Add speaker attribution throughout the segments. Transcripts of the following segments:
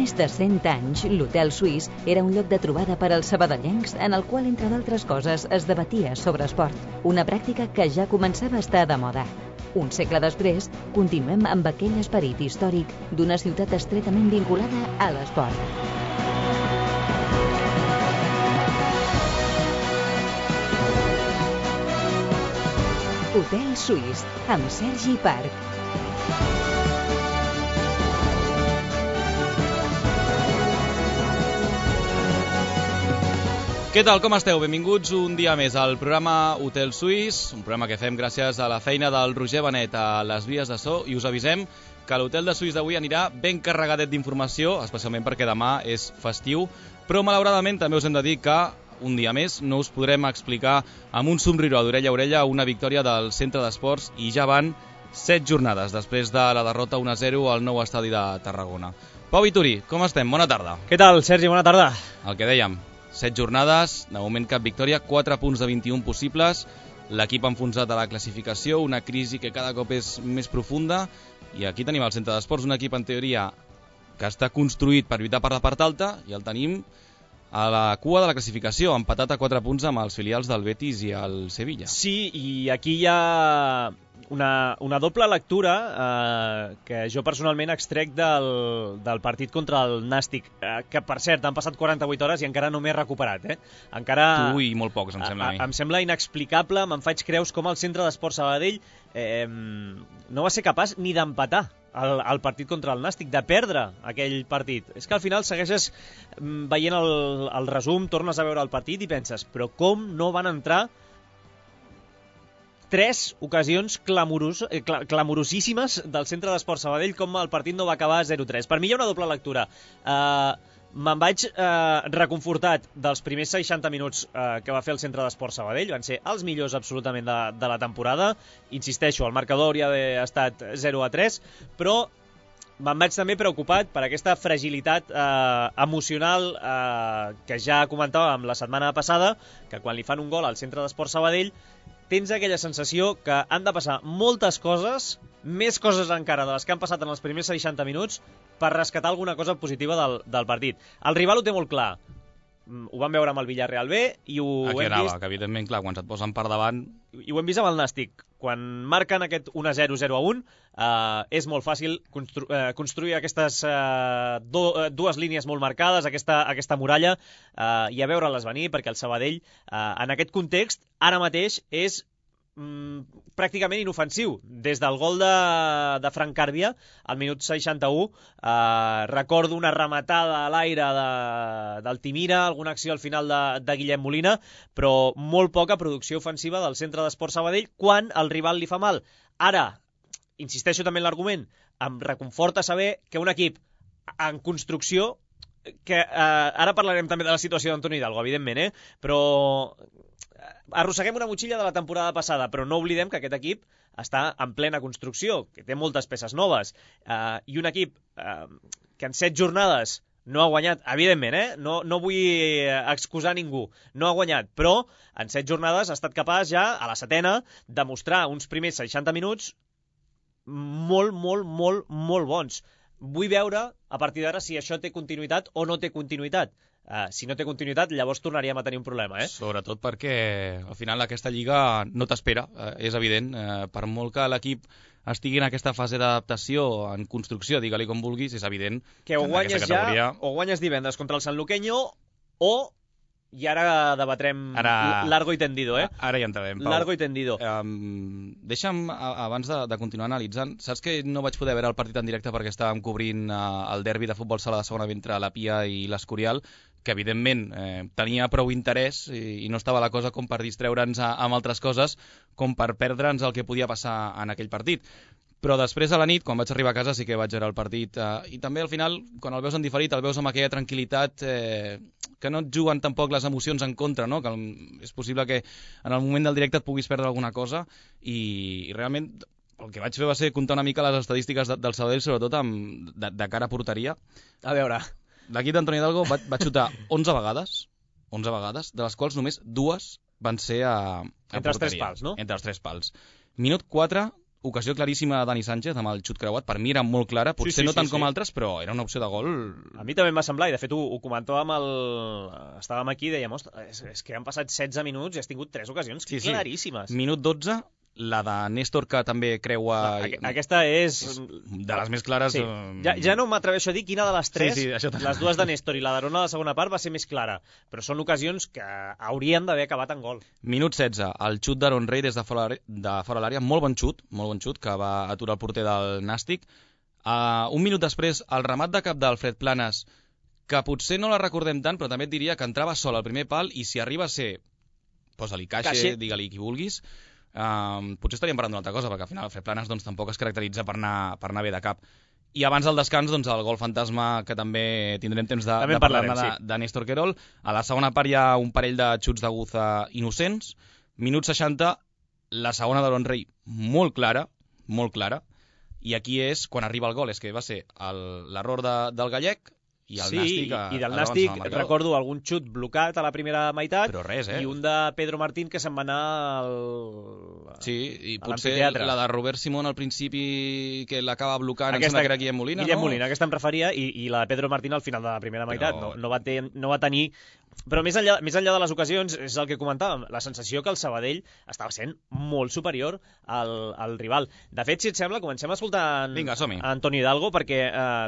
Speaker 1: més de 100 anys, l'Hotel Suís era un lloc de trobada per als sabadellencs en el qual, entre d'altres coses, es debatia sobre esport. Una pràctica que ja començava a estar de moda. Un segle després, continuem amb aquell esperit històric d'una ciutat estretament vinculada a l'esport. Hotel Suís, amb Sergi Parc.
Speaker 2: Què tal, com esteu? Benvinguts un dia més al programa Hotel Suís, un programa que fem gràcies a la feina del Roger Benet a les vies de so, i us avisem que l'Hotel de Suís d'avui anirà ben carregadet d'informació, especialment perquè demà és festiu, però malauradament també us hem de dir que un dia més no us podrem explicar amb un somriure d'orella a orella una victòria del Centre d'Esports, i ja van 7 jornades després de la derrota 1-0 al nou estadi de Tarragona. Pau Vituri, com estem? Bona tarda.
Speaker 3: Què tal, Sergi? Bona tarda.
Speaker 2: El que dèiem, 7 jornades, de moment cap victòria, 4 punts de 21 possibles, l'equip enfonsat a la classificació, una crisi que cada cop és més profunda, i aquí tenim el Centre d'Esports, un equip en teoria que està construït per lluitar per la part alta, i el tenim a la cua de la classificació, empatat a 4 punts amb els filials del Betis i el Sevilla.
Speaker 3: Sí, i aquí hi ha una doble lectura que jo personalment extrec del partit contra el Nàstic, que per cert han passat 48 hores i encara no m'he recuperat. Encara,
Speaker 2: tu i molt pocs, em sembla a mi.
Speaker 3: Em sembla inexplicable, me'n faig creus com el Centre d'Esports Sabadell no va ser capaç ni d'empatar el partit contra el Nàstic, de perdre aquell partit. És que al final segueixes veient el resum, tornes a veure el partit i penses, però com no van entrar 3 ocasions clamorosíssimes del Centre d'Esports Sabadell, com el partit no va acabar 0-3. Per mi hi ha una doble lectura. Me'n vaig reconfortat dels primers 60 minuts que va fer el Centre d'Esports Sabadell. Van ser els millors absolutament de la temporada. Insisteixo, el marcador hauria d'haver estat 0-3, però me'n vaig també preocupat per aquesta fragilitat emocional que ja comentàvem la setmana passada, que quan li fan un gol al Centre d'Esports Sabadell tens aquella sensació que han de passar moltes coses, més coses encara de les que han passat en els primers 60 minuts, per rescatar alguna cosa positiva del partit. El rival ho té molt clar. Ho vam veure amb el Villarreal B i ho
Speaker 2: aquí
Speaker 3: hem
Speaker 2: anava,
Speaker 3: vist...
Speaker 2: que evidentment, clar, quan se't posen per davant...
Speaker 3: I ho hem vist amb el Nàstic. Quan marquen aquest 1-0, 0-1, és molt fàcil construir aquestes dues línies molt marcades, aquesta muralla, i a veure-les venir, perquè el Sabadell, en aquest context, ara mateix és pràcticament inofensiu. Des del gol de Frank Càrbia al minut 61, recordo una rematada a l'aire d'Altimira, alguna acció al final de Guillem Molina, però molt poca producció ofensiva del Centre d'Esports Sabadell quan el rival li fa mal. Ara, insisteixo també en l'argument, em reconforta saber que un equip en construcció, que ara parlarem també de la situació d'Antoni Hidalgo, evidentment, però arrosseguem una motxilla de la temporada passada, però no oblidem que aquest equip està en plena construcció, que té moltes peces noves, i un equip que en 7 jornades no ha guanyat, evidentment, no vull excusar ningú, no ha guanyat, però en 7 jornades ha estat capaç ja, a la 7ª, de mostrar uns primers 60 minuts molt, molt, molt, molt bons. Vull veure, a partir d'ara, si això té continuïtat o no té continuïtat. Si no té continuïtat, llavors tornaríem a tenir un problema.
Speaker 2: Sobretot perquè al final aquesta lliga no t'espera, és evident. Per molt que l'equip estigui en aquesta fase d'adaptació, en construcció, digue-li com vulguis, és evident
Speaker 3: que o guanyes categoria... ja o guanyes divendres contra el Sanluqueño, o... I ara debatrem largo i tendido,
Speaker 2: Ara hi entrarem, Pau.
Speaker 3: Largo i tendido.
Speaker 2: Deixa'm, abans de continuar analitzant, saps que no vaig poder veure el partit en directe perquè estàvem cobrint el derbi de futbol sala de segona entre la Pia i l'Escorial, que evidentment tenia prou interès i no estava la cosa com per distreure'ns amb altres coses, com per perdre'ns el que podia passar en aquell partit. Però després a la nit, quan vaig arribar a casa, sí que vaig veure el partit, i també al final, quan el veus en diferit, el veus amb aquella tranquil·litat que no et juguen tampoc les emocions en contra, no? Que és possible que en el moment del directe et puguis perdre alguna cosa, i realment el que vaig fer va ser comptar una mica les estadístiques del Sabadell, sobretot de cara a porteria.
Speaker 3: A veure,
Speaker 2: l'equip d'Antoni Hidalgo va xutar 11 vegades, de les quals només 2 van ser a
Speaker 3: entre els
Speaker 2: porteria.
Speaker 3: 3 pals, no?
Speaker 2: Entre els 3 pals. Minut 4, ocasió claríssima de Dani Sánchez amb el xut creuat, per mi era molt clara, potser no tant com altres, però era una opció de gol.
Speaker 3: A mi també em va semblar, i de fet ho comentàvem estàvem aquí i dèiem, ostres, és que han passat 16 minuts i has tingut 3 ocasions claríssimes.
Speaker 2: Minut 12, la de Néstor, que també creua...
Speaker 3: Aquesta és...
Speaker 2: de les més clares...
Speaker 3: Sí. Ja no m'atreveixo a dir quina de les 3, les dues de Néstor i la d'Arona a la segona part va ser més clara, però són ocasions que haurien d'haver acabat en gol.
Speaker 2: Minut 16, el xut d'Aaron Rey des de fora l'àrea, molt bon xut, que va aturar el porter del Nàstic. Un minut després, el remat de cap d'Alfred Planes, que potser no la recordem tant, però també et diria que entrava sol al primer pal i si arriba a ser, posa-li caixa, digue-li qui vulguis, potser estaríem parlant d'una altra cosa, perquè al final Alfred Planes doncs, tampoc es caracteritza per anar bé de cap. I abans del descans, doncs, el gol fantasma, que també tindrem temps de parlar de Néstor Querol. A la segona part hi ha un parell de xuts de Guza innocents. Minut 60, la segona d'Aaron Rey molt clara, i aquí és quan arriba el gol, és que va ser l'error del gallec, i el Nàstic...
Speaker 3: i del Nàstic recordo algun xut blocat a la primera meitat,
Speaker 2: però res,
Speaker 3: i un de Pedro Martín que se'n va anar
Speaker 2: Sí, i potser la de Robert Simón al principi que l'acaba blocant, em sembla que era Guillem Molina,
Speaker 3: Guillem Molina, aquesta em referia, i la de Pedro Martín al final de la primera meitat. No va tenir... Però més enllà de les ocasions, és el que comentàvem, la sensació que el Sabadell estava sent molt superior al rival. De fet, si et sembla, comencem escoltant Antoni Hidalgo, perquè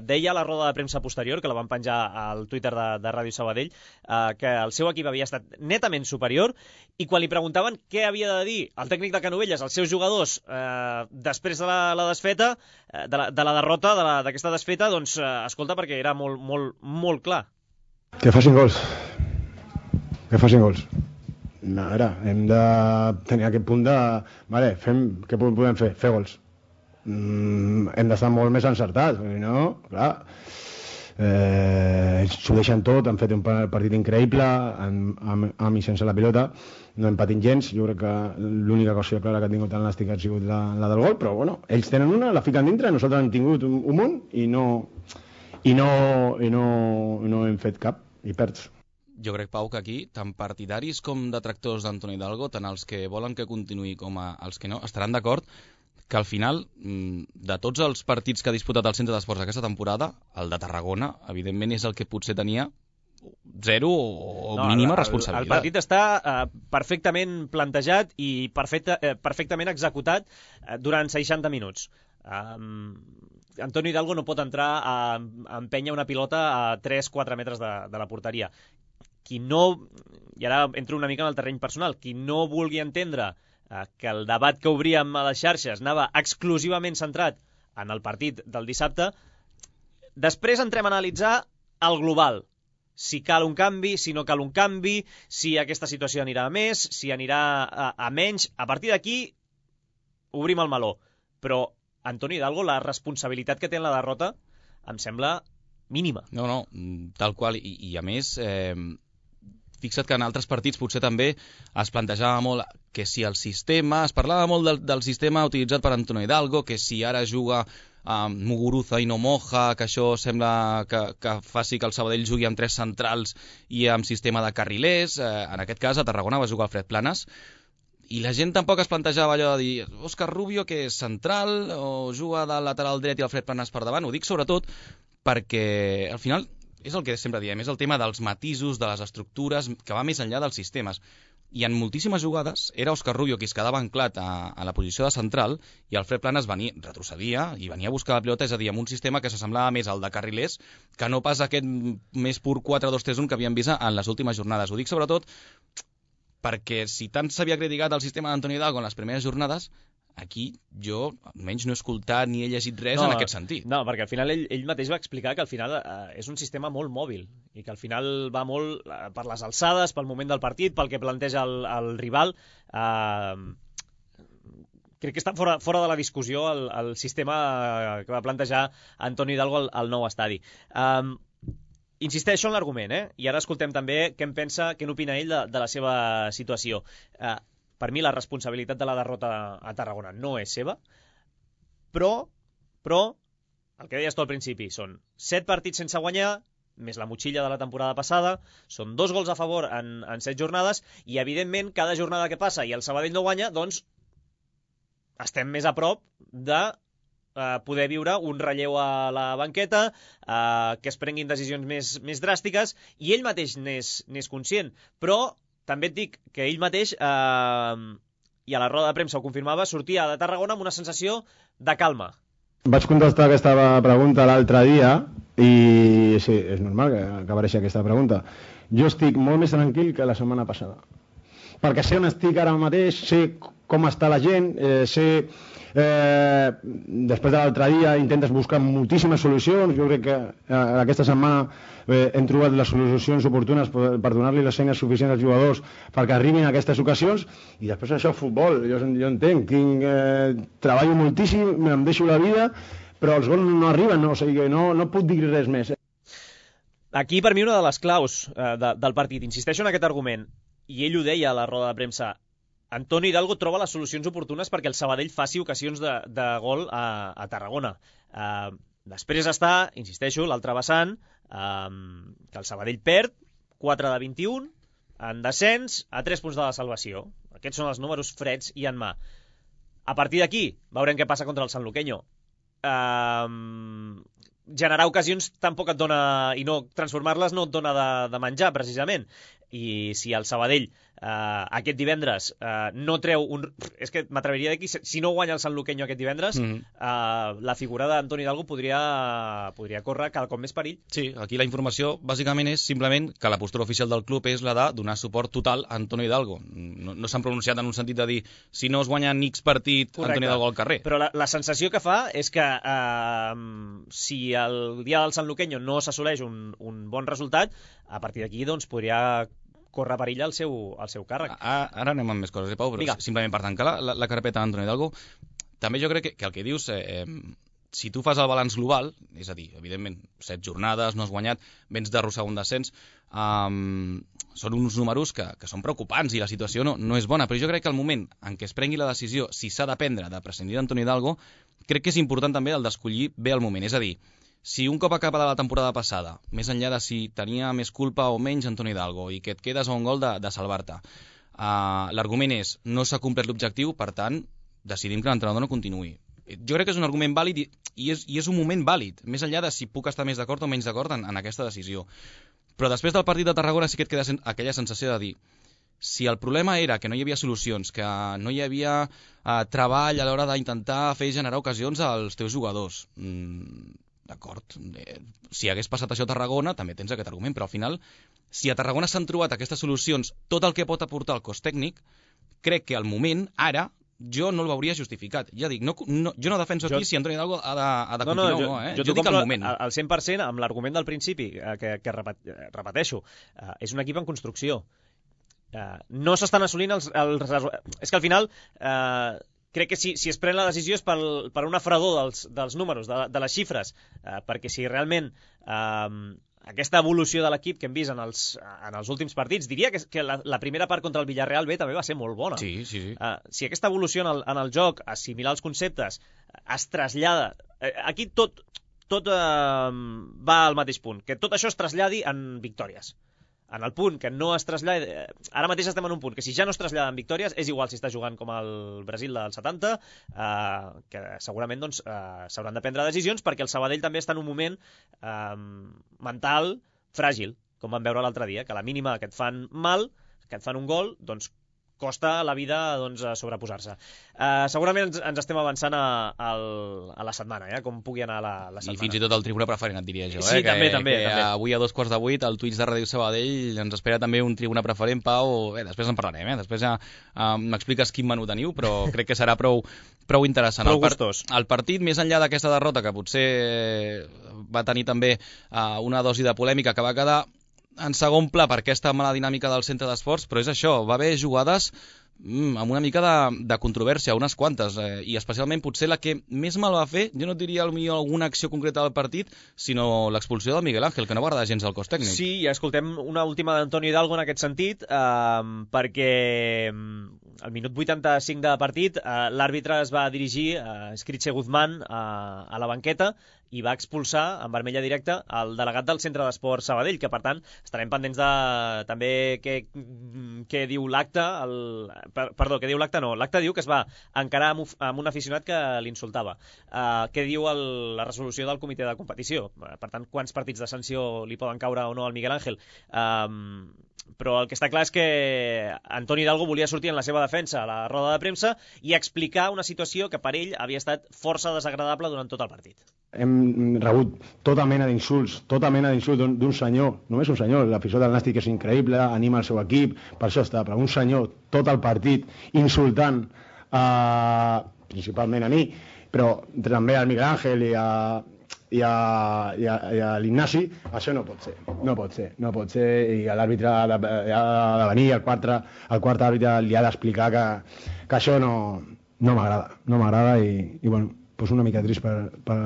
Speaker 3: deia a la roda de premsa posterior, que la van penjar al Twitter de Ràdio Sabadell, que el seu equip havia estat netament superior, i quan li preguntaven què havia de dir el tècnic de Canovelles als seus jugadors després de la desfeta, de la derrota, d'aquesta desfeta, doncs escolta, perquè era molt, molt, molt clar.
Speaker 4: Que facin gols. A veure, hem de tenir aquest punt de... Vale, què podem fer? Fer gols. Hem d'estar molt més encertats, perquè no, clar... S'ho deixen tot, han fet un partit increïble, amb i sense la pilota, no hem patit gens. Jo crec que l'única cosa clara que ha tingut el Nàstic ha sigut la del gol, però bueno, ells tenen una, la fiquen dintre, nosaltres hem tingut un munt i no hem fet cap, i perds.
Speaker 2: Jo crec, Pau, que aquí, tant partidaris com detractors d'Antoni Hidalgo, tant els que volen que continuï com els que no, estaran d'acord que al final, de tots els partits que ha disputat el Centre d'Esports aquesta temporada, el de Tarragona, evidentment, és el que potser tenia zero o mínima responsabilitat.
Speaker 3: El partit està perfectament plantejat i perfectament executat durant 60 minuts. Antoni Hidalgo no pot entrar a empènyer una pilota a 3-4 metres de la porteria. Qui no, i ara entro una mica en el terreny personal, qui no vulgui entendre que el debat que obríem a les xarxes anava exclusivament centrat en el partit del dissabte, després entrem a analitzar el global. Si cal un canvi, si no cal un canvi, si aquesta situació anirà a més, si anirà a menys. A partir d'aquí obrim el meló. Però Antoni Hidalgo, la responsabilitat que té en la derrota em sembla mínima.
Speaker 2: No, tal qual. I a més... fixa't que en altres partits potser també es plantejava molt que si el sistema, es parlava molt del sistema utilitzat per Antoni Hidalgo, que si ara juga Muguruza i no Moja, que això sembla que faci que el Sabadell jugui amb 3 centrals i amb sistema de carrilers. En aquest cas a Tarragona va jugar Alfred Planes, i la gent tampoc es plantejava allò de dir Òscar Rubio, que és central, o juga de lateral dret i Alfred Planes per davant. Ho dic sobretot perquè al final és el que sempre diem, és el tema dels matisos, de les estructures, que va més enllà dels sistemes. I en moltíssimes jugades era Òscar Rubio qui es quedava anclat a la posició de central i Alfred Planes retrocedia i venia a buscar la pilota, és a dir, amb un sistema que s'assemblava més al de carrilers que no pas aquest més pur 4-2-3-1 que havíem vist en les últimes jornades. Ho dic sobretot perquè si tant s'havia criticat el sistema d'Antoni Hidalgo en les primeres jornades, aquí jo almenys no he escoltat ni he llegit res en aquest sentit.
Speaker 3: No, perquè al final ell mateix va explicar que al final és un sistema molt mòbil i que al final va molt per les alçades, pel moment del partit, pel que planteja el rival. Crec que està fora de la discussió el sistema que va plantejar Antoni Hidalgo al nou estadi. Insisteixo en l'argument, i ara escoltem també què n'opina ell de la seva situació. Per mi la responsabilitat de la derrota a Tarragona no és seva, però el que deies tu al principi, són 7 partits sense guanyar, més la motxilla de la temporada passada, són 2 gols a favor en 7 jornades, i evidentment cada jornada que passa i el Sabadell no guanya, doncs estem més a prop de poder viure un relleu a la banqueta, que es prenguin decisions més dràstiques, i ell mateix n'és conscient. Però també et dic que ell mateix, i a la roda de premsa ho confirmava, sortia de Tarragona amb una sensació de calma.
Speaker 4: Vaig contestar aquesta pregunta l'altre dia i sí, és normal que apareixi aquesta pregunta. Jo estic molt més tranquil que la setmana passada. Perquè sé on estic ara mateix, sé com està la gent, sé... després de l'altre dia intentes buscar moltíssimes solucions. Jo crec que aquesta setmana hem trobat les solucions oportunes per donar-li les eines suficients als jugadors perquè arribin a aquestes ocasions, i després això, futbol, jo entenc, treballo moltíssim, em deixo la vida, però els gols no arriben, o sigui, no puc dir res més.
Speaker 3: Aquí per mi una de les claus del partit, insisteixo en aquest argument, i ell ho deia a la roda de premsa, Antoni Hidalgo troba les solucions oportunes perquè el Sabadell faci ocasions de gol a Tarragona. Després està, insisteixo, l'altre vessant, que el Sabadell perd 4 de 21, en descens, a 3 punts de la salvació. Aquests són els números freds i en mà. A partir d'aquí, veurem què passa contra el Sanluqueño. Generar ocasions tampoc et dona, i no transformar-les no et dona de menjar, precisament. I si el Sabadell aquest divendres no treu un... És que m'atreviria a dir que si no guanya el Sanluqueño aquest divendres, la figura d'Antoni Hidalgo podria córrer cada cop més perill.
Speaker 2: Sí, aquí la informació bàsicament és simplement que la postura oficial del club és la de donar suport total a Antoni Hidalgo. No s'han pronunciat en un sentit de dir si no es guanya X partit, correcte, Antoni Hidalgo al carrer.
Speaker 3: Però la sensació que fa és que si el dia del Sanluqueño no s'assoleix un bon resultat, a partir d'aquí doncs podria córrer perill al seu càrrec.
Speaker 2: Ara anem amb més coses, Pau, però simplement per tancar la carpeta d'Antoni Hidalgo, també jo crec que el que dius, si tu fas el balanç global, és a dir, evidentment, 7 jornades, no has guanyat, vens d'arrossegar un descens, són uns números que són preocupants i la situació no és bona, però jo crec que el moment en què es prengui la decisió, si s'ha de prendre, de prescindir d'Antoni Hidalgo, crec que és important també el d'escollir bé el moment, és a dir, si un cop acaba de la temporada passada, més enllà de si tenia més culpa o menys Antoni Hidalgo i que et quedes a un gol de salvar-te, l'argument és no s'ha complert l'objectiu, per tant, decidim que l'entrenador no continuï. Jo crec que és un argument vàlid i és un moment vàlid, més enllà de si puc estar més d'acord o menys d'acord en aquesta decisió. Però després del partit de Tarragona sí que et queda aquella sensació de dir si el problema era que no hi havia solucions, que no hi havia treball a l'hora d'intentar fer generar ocasions als teus jugadors, d'acord, si hagués passat això a Tarragona també tens aquest argument, però al final si a Tarragona s'han trobat aquestes solucions, tot el que pot aportar el cos tècnic, crec que al moment, ara, jo no el veuria justificat. Ja dic, jo no defenso aquí si Antoni Hidalgo ha de continuar o no. Jo dic al moment.
Speaker 3: Al 100% amb l'argument del principi, que repeteixo, és un equip en construcció. No s'estan assolint els... És que al final... crec que si es pren la decisió és per una fredor dels números, de les xifres, perquè si realment aquesta evolució de l'equip que hem vist en els últims partits, diria que la primera part contra el Villarreal B també va ser molt bona.
Speaker 2: Sí.
Speaker 3: Si aquesta evolució en el joc, assimilar els conceptes, es trasllada... Aquí tot va al mateix punt, que tot això es traslladi en victòries. En el punt que no es trasllada... Ara mateix estem en un punt que si ja no es trasllada en victòries, és igual si està jugant com el Brasil del 70, que segurament doncs, s'hauran de prendre decisions, perquè el Sabadell també està en un moment mental fràgil, com vam veure l'altre dia, que a la mínima que et fan mal, que et fan un gol, doncs costa la vida doncs, sobreposar-se. Segurament ens estem avançant a la setmana, com pugui anar la setmana.
Speaker 2: I fins i tot el tribuna preferent, et diria jo.
Speaker 3: Sí, també.
Speaker 2: Avui a 7:15, al Twitch de Ràdio Sabadell, ens espera també un tribuna preferent, Pau. Després en parlarem, després ja m'expliques quin menú teniu, però crec que serà prou interessant.
Speaker 3: Prou gustós.
Speaker 2: El partit, més enllà d'aquesta derrota, que potser va tenir també una dosi de polèmica, que va quedar en segon pla per aquesta mala dinàmica del centre d'esports, però és això, va haver jugades amb una mica de controvèrsia, unes quantes, i especialment potser la que més mal va fer, jo no diria potser alguna acció concreta del partit, sinó l'expulsió del Miguel Ángel, que no va agradar gens al cos tècnic.
Speaker 3: Sí, i escoltem una última d'Antoni Hidalgo en aquest sentit, perquè al minut 85 de partit l'àrbitre es va dirigir a Skritche Guzmán a la banqueta i va expulsar en vermella directa el delegat del Centre d'Esport Sabadell, que per tant estarem pendents de també què diu l'acte, Perdó, què diu l'acte? No, l'acte diu que es va encarar amb un aficionat que l'insultava. Què diu la resolució del comitè de competició? Per tant, quants partits de sanció li poden caure o no al Miguel Ángel? Però el que està clar és que Antoni Hidalgo volia sortir en la seva defensa a la roda de premsa i explicar una situació que per ell havia estat força desagradable durant tot el partit.
Speaker 4: Hem rebut tota mena d'insults d'un senyor, només un senyor, l'afició del Nàstic és increïble, anima el seu equip, per això està, però un senyor tot el partit insultant principalment a mi, però també al Miguel Ángel i a l'Ignasi, això no pot ser, i l'àrbitre ha de venir, el quart àrbitre li ha d'explicar que això no m'agrada i bueno, doncs una mica trist per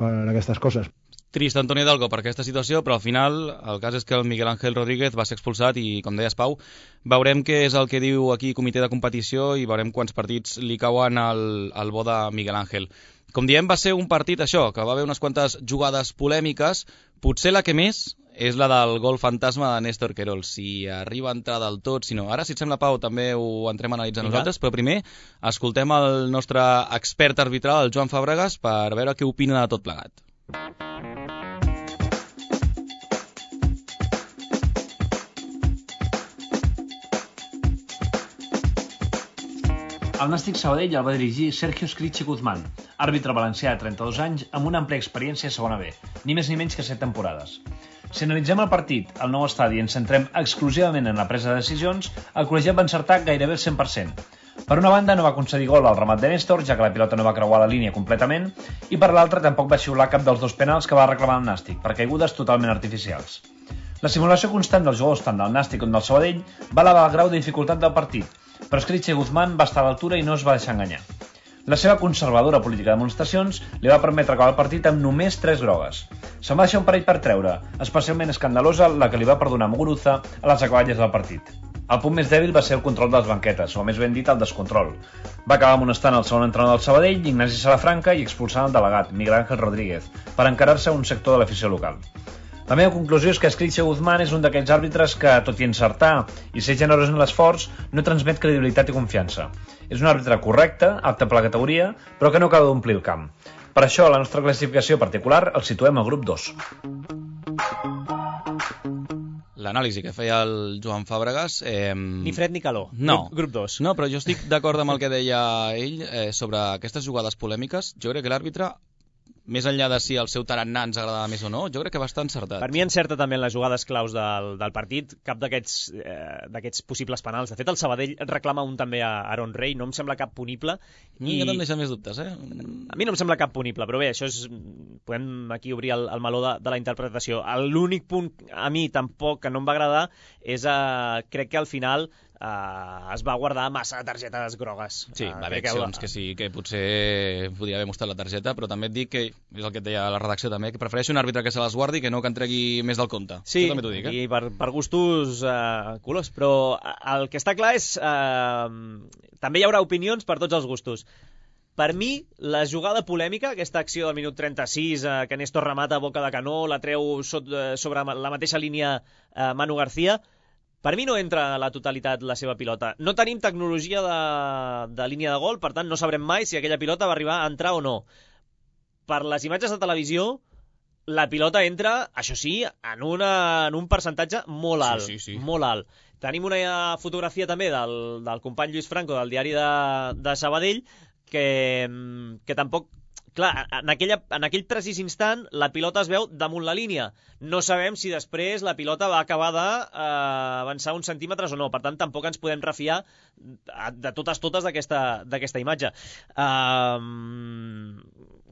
Speaker 4: aquestes coses.
Speaker 2: Trist Antoni Hidalgo per aquesta situació, però al final el cas és que el Miguel Ángel Rodríguez va ser expulsat i, com deies, Pau, veurem què és el que diu aquí comitè de competició i veurem quants partits li cauen al bo de Miguel Ángel. Com diem, va ser un partit, això, que va haver unes quantes jugades polèmiques, potser la que més és la del gol fantasma de Néstor Querol. Si arriba a entrar del tot, si no. Ara, si et sembla, Pau, també ho entrem a analitzar nosaltres, però primer escoltem el nostre expert arbitral, el Joan Fàbregas, per veure què opina de tot plegat.
Speaker 5: El Nàstic Sabadell el va dirigir Sergio Scritche Guzmán, àrbitre valencià de 32 anys amb una àmplia experiència a segona B, ni més ni menys que 7 temporades. Si analitzem el partit al nou estadi i ens centrem exclusivament en la presa de decisions, el col·legiat va encertar gairebé el 100%. Per una banda no va concedir gol al remat de Néstor, ja que la pilota no va creuar la línia completament, i per l'altra tampoc va xiular cap dels dos penals que va reclamar el Nàstic, per caigudes totalment artificials. La simulació constant dels jugadors tant del Nàstic com del Sabadell va elevar el grau de dificultat del partit, però Scritche Guzmán va estar a l'altura i no es va deixar enganyar. La seva conservadora política de demostracions li va permetre acabar el partit amb només 3 grogues. Se'n va deixar un parell per treure, especialment escandalosa la que li va perdonar Muguruza a les acaballes del partit. El punt més dèbil va ser el control de les banquetes, o més ben dit, el descontrol. Va acabar amonestant el segon entrenador del Sabadell, Ignasi Salafranca, i expulsant el delegat, Miguel Ángel Rodríguez, per encarar-se a un sector de l'afició local. La meva conclusió és que Scritche Guzmán és un d'aquells àrbitres que, tot i encertar i ser generós en l'esforç, no transmet credibilitat i confiança. És un àrbitre correcte, apte per la categoria, però que no acaba d'omplir el camp. Per això, la nostra classificació particular el situem al grup 2.
Speaker 2: L'anàlisi que feia el Joan Fàbregas...
Speaker 3: Ni fred ni calor.
Speaker 2: No.
Speaker 3: Grup 2.
Speaker 2: No, però jo estic d'acord amb el que deia ell sobre aquestes jugades polèmiques. Jo crec que l'àrbitre, més enllà de si el seu tarannà ens agradava més o no, jo crec que va estar encertat.
Speaker 3: Per mi encerta també en les jugades claus del partit, cap d'aquests possibles penals. De fet, el Sabadell reclama un també a Aaron Rey, no em sembla cap punible.
Speaker 2: I no em deixa més dubtes, eh?
Speaker 3: A mi no em sembla cap punible, però bé, això és... Podem aquí obrir el meló de la interpretació. L'únic punt a mi tampoc que no em va agradar és, crec que al final... es va guardar massa targetes grogues.
Speaker 2: Sí, va haver accions que sí, que potser podia haver mostrat la targeta, però també et dic que, és el que et deia la redacció també, que prefereixo un àrbitre que se les guardi que no que en tregui més del compte.
Speaker 3: Sí,
Speaker 2: també t'ho dic,
Speaker 3: i per gustos colors, però el que està clar és també hi haurà opinions per tots els gustos. Per mi, la jugada polèmica, aquesta acció del minut 36, que Néstor remata a boca de canó, la treu sobre la mateixa línia Manu García, per mi no entra a la totalitat la seva pilota. No tenim tecnologia de línia de gol, per tant no sabrem mai si aquella pilota va arribar a entrar o no. Per les imatges de televisió, la pilota entra, això sí, en un percentatge molt alt.
Speaker 2: Sí.
Speaker 3: Molt alt. Tenim una fotografia també del company Lluís Franco del diari de Sabadell que tampoc... Clar, en aquell precís instant la pilota es veu damunt la línia. No sabem si després la pilota va acabar d'avançar uns centímetres o no. Per tant, tampoc ens podem refiar de totes d'aquesta imatge.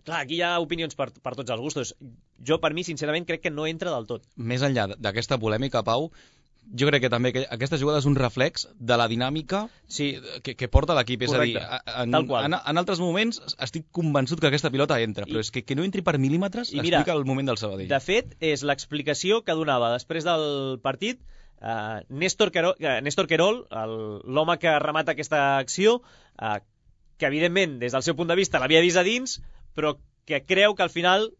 Speaker 3: Clar, aquí hi ha opinions per tots els gustos. Jo, per mi, sincerament, crec que no entra del tot.
Speaker 2: Més enllà d'aquesta polèmica, Pau, jo crec que també aquesta jugada és un reflex de la dinàmica que porta l'equip. És a dir, en altres moments estic convençut que aquesta pilota entra, però és que no entri per mil·límetres explica el moment del Sabadell.
Speaker 3: De fet, és l'explicació que donava després del partit Néstor Querol, l'home que remata aquesta acció, que evidentment des del seu punt de vista l'havia vist a dins, però que creu que al final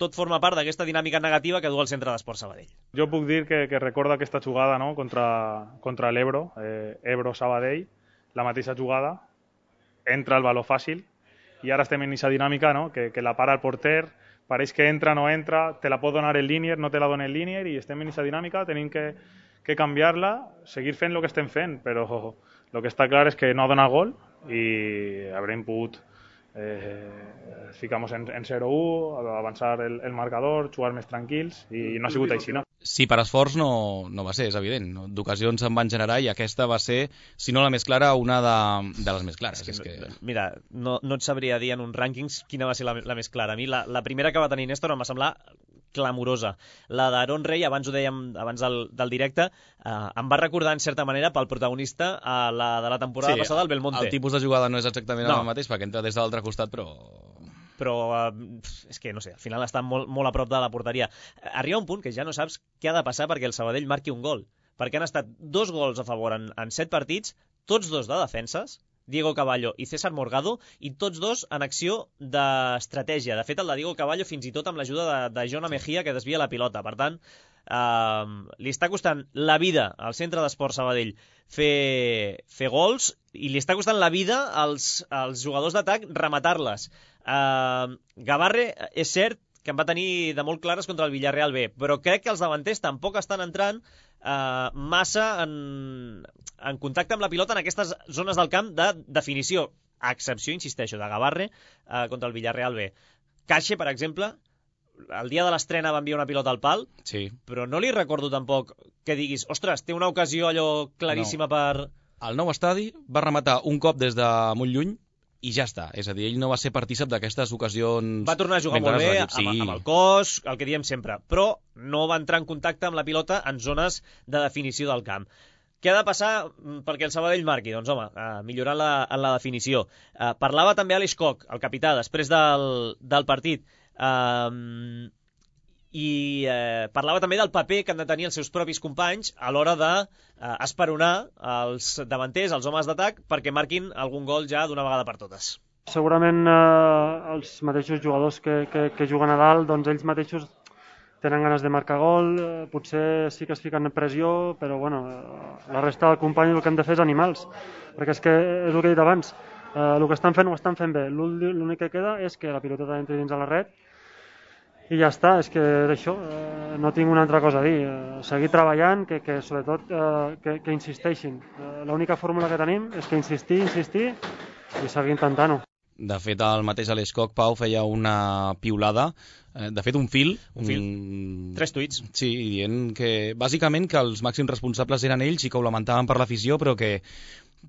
Speaker 3: tot forma part d'aquesta dinàmica negativa que du al centre d'Esport Sabadell.
Speaker 6: Jo puc dir que recordo aquesta jugada, no?, contra l'Ebro, Ebro-Sabadell, la mateixa jugada, entra el valor fàcil, i ara estem en aquesta dinàmica, no? que la para el porter, pareix que entra, no entra, te la pot donar el línier, no te la dona el línier, i estem en aquesta dinàmica, tenim que canviar-la, seguir fent el que estem fent, però el que està clar és que no ha donat gol i haurem pogut ficar-nos en 0-1, avançar el marcador, jugar més tranquils, i no ha sigut així, no?
Speaker 2: Sí, per esforç no va ser, és evident. D'ocasions se'n van generar i aquesta va ser, si no la més clara, una de les més clares.
Speaker 3: Mira, no et sabria dir en uns rànquings quina va ser la més clara. A mi la primera que va tenir Néstor em va semblar clamorosa. La d'Aaron Rey, abans ho dèiem abans del directe, em va recordar en certa manera pel protagonista a la de la temporada passada, el Belmonte.
Speaker 2: El tipus de jugada no és exactament el mateix, perquè entra des de l'altre costat,
Speaker 3: però és que, no sé, al final està molt a prop de la porteria. Arriba un punt que ja no saps què ha de passar perquè el Sabadell marqui un gol, perquè han estat 2 gols a favor en 7 partits, tots 2 de defenses, Diego Caballo i César Morgado, i tots 2 en acció d'estratègia. De fet, el de Diego Caballo fins i tot amb l'ajuda de Jona Mejía, que desvia la pilota. Per tant, li està costant la vida al Centre d'Esports Sabadell fer gols, i li està costant la vida als jugadors d'atac rematar-les. Gavarre és cert que en va tenir de molt clares contra el Villarreal B, però crec que els davanters tampoc estan entrant massa en contacte amb la pilota en aquestes zones del camp de definició, a excepció, insisteixo, de Gavarre contra el Villarreal B. Caixe, per exemple, el dia de l'estrena va enviar una pilota al pal,
Speaker 2: sí,
Speaker 3: però no li recordo tampoc que diguis, ostres, té una ocasió allò claríssima per...
Speaker 2: Al nou estadi va rematar un cop des de molt lluny i ja està. És a dir, ell no va ser partícip d'aquestes ocasions...
Speaker 3: Va tornar a jugar molt bé, amb el cos, el que diem sempre, però no va entrar en contacte amb la pilota en zones de definició del camp. Què ha de passar perquè el Sabadell marqui? Doncs, home, millorar en la definició. Parlava també Aleix Koch, el capità, després del partit, i parlava també del paper que han de tenir els seus propis companys a l'hora d'esperonar els davanters, els homes d'atac, perquè marquin algun gol ja d'una vegada per totes.
Speaker 7: Segurament els mateixos jugadors que juguen a dalt, doncs ells mateixos tenen ganes de marcar gol, potser sí que es fiquen en pressió, però bueno, la resta del company el que han de fer és animals, perquè és el que he dit abans, el que estan fent ho estan fent bé, l'únic que queda és que la pilota entri dins a la red i ja està, és que d'això no tinc una altra cosa a dir, seguir treballant, que sobretot que insisteixin, l'única fórmula que tenim és que insistir i seguir intentant-ho.
Speaker 2: De fet, el mateix Aleix Koch, Pau, feia una piulada, de fet un fil,
Speaker 3: 3 tuits.
Speaker 2: Sí, dient que bàsicament que els màxims responsables eren ells i que ho lamentaven per l'afició, però que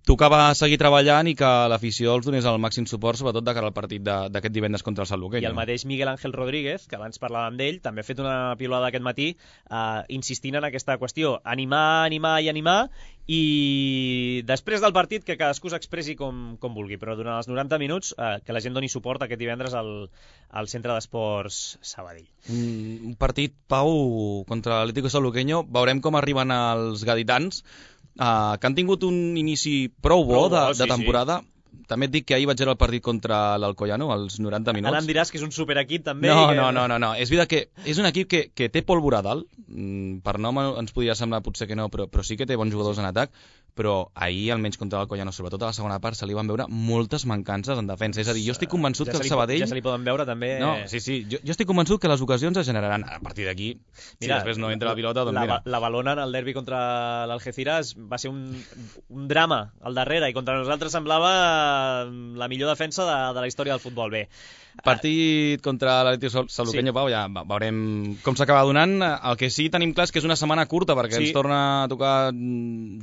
Speaker 2: tocava seguir treballant i que l'afició els donés el màxim suport, sobretot de cara al partit d'aquest divendres contra el Sanluqueño.
Speaker 3: I el mateix Miguel Ángel Rodríguez, que abans parlàvem d'ell, també ha fet una piulada aquest matí insistint en aquesta qüestió, animar, i després del partit que cadascú s'expressi com vulgui, però durant els 90 minuts que la gent doni suport aquest divendres al Centre d'Esports Sabadell.
Speaker 2: Un partit, Pau, contra l'Atlético Sanluqueño, veurem com arriben els gaditans, que han tingut un inici prou bo de temporada. Sí. També et dic que ahir vaig veure el partit contra l'Alcoyano, als 90 minuts.
Speaker 3: Ara em diràs que és un superequip també.
Speaker 2: No. És veritat que és un equip que té pólvora a dalt. Per nom ens podria semblar potser que no, però sí que té bons jugadors en atac. Però ahir, almenys contra l'Alcoyano, sobretot a la segona part, se li van veure moltes mancances en defensa. És a dir, jo estic convençut que el Sabadell...
Speaker 3: Ja se li poden veure també...
Speaker 2: No, sí. Jo estic convençut que les ocasions es generaran. A partir d'aquí, si després no entra la pilota, doncs mira.
Speaker 3: La Balona en el derbi contra l'Algeciras va ser un drama al darrere, i contra nosaltres semblava la millor defensa de la història del futbol. Bé,
Speaker 2: partit contra l'Atlético Sanluqueño, Pau, ja veurem com s'acaba donant. El que sí tenim clar és que és una setmana curta, perquè ens torna a tocar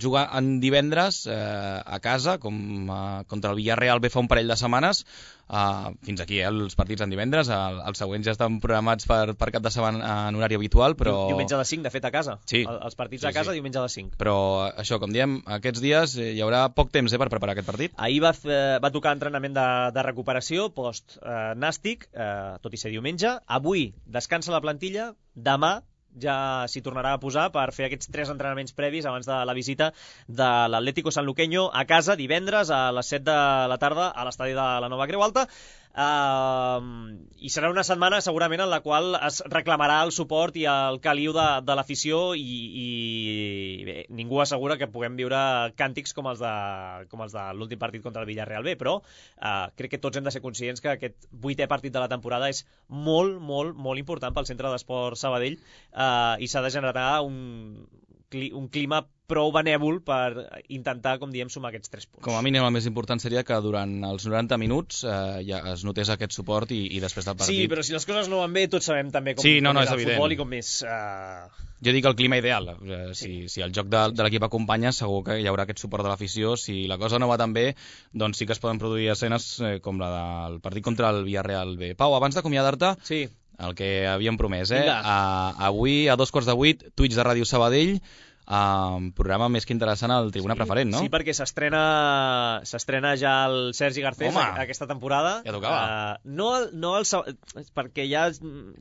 Speaker 2: jugar en divendres a casa, com contra el Villarreal B fa un parell de setmanes. Fins aquí, els partits en divendres. Els següents ja estan programats per cap de setmana en horari habitual, però...
Speaker 3: Diumenge de 5, de fet, a casa.
Speaker 2: Sí.
Speaker 3: Els partits a casa, diumenge de 5.
Speaker 2: Però això, com diem, aquests dies hi haurà poc temps per preparar aquest partit.
Speaker 3: Ahir va tocar entrenament de recuperació post-nàstic, tot i ser diumenge. Avui descansa la plantilla, demà ja s'hi tornarà a posar per fer aquests 3 entrenaments previs abans de la visita de l'Atlético Sanluqueño a casa divendres a les 7 de la tarda a l'estadi de la Nova Creu Alta. i serà una setmana segurament en la qual es reclamarà el suport i el caliu de l'afició i bé, ningú assegura que puguem viure càntics com els de l'últim partit contra el Villarreal B, però crec que tots hem de ser conscients que aquest 8è partit de la temporada és molt, molt, molt important pel Centre d'Esport Sabadell i s'ha de generar un clima prou benèvol per intentar, com diem, sumar aquests 3 punts.
Speaker 2: Com a mínim el més important seria que durant els 90 minuts ja es notés aquest suport i després del partit...
Speaker 3: Sí, però si les coses no van bé, tots sabem també com,
Speaker 2: sí,
Speaker 3: com
Speaker 2: és
Speaker 3: el
Speaker 2: evident.
Speaker 3: futbol i com és...
Speaker 2: Jo dic el clima ideal. Si el joc de l'equip acompanya, segur que hi haurà aquest suport de l'afició. Si la cosa no va tan bé, doncs sí que es poden produir escenes com la del partit contra el Villarreal B. Pau, abans d'acomiadar-te,
Speaker 3: sí.
Speaker 2: El que havíem promès, avui a 2:15, Twitch de Ràdio Sabadell, programa més que interessant al Tribuna Preferent, no?
Speaker 3: Sí, perquè s'estrena ja el Sergi Garcés aquesta temporada.
Speaker 2: Ja tocava.
Speaker 3: Perquè ja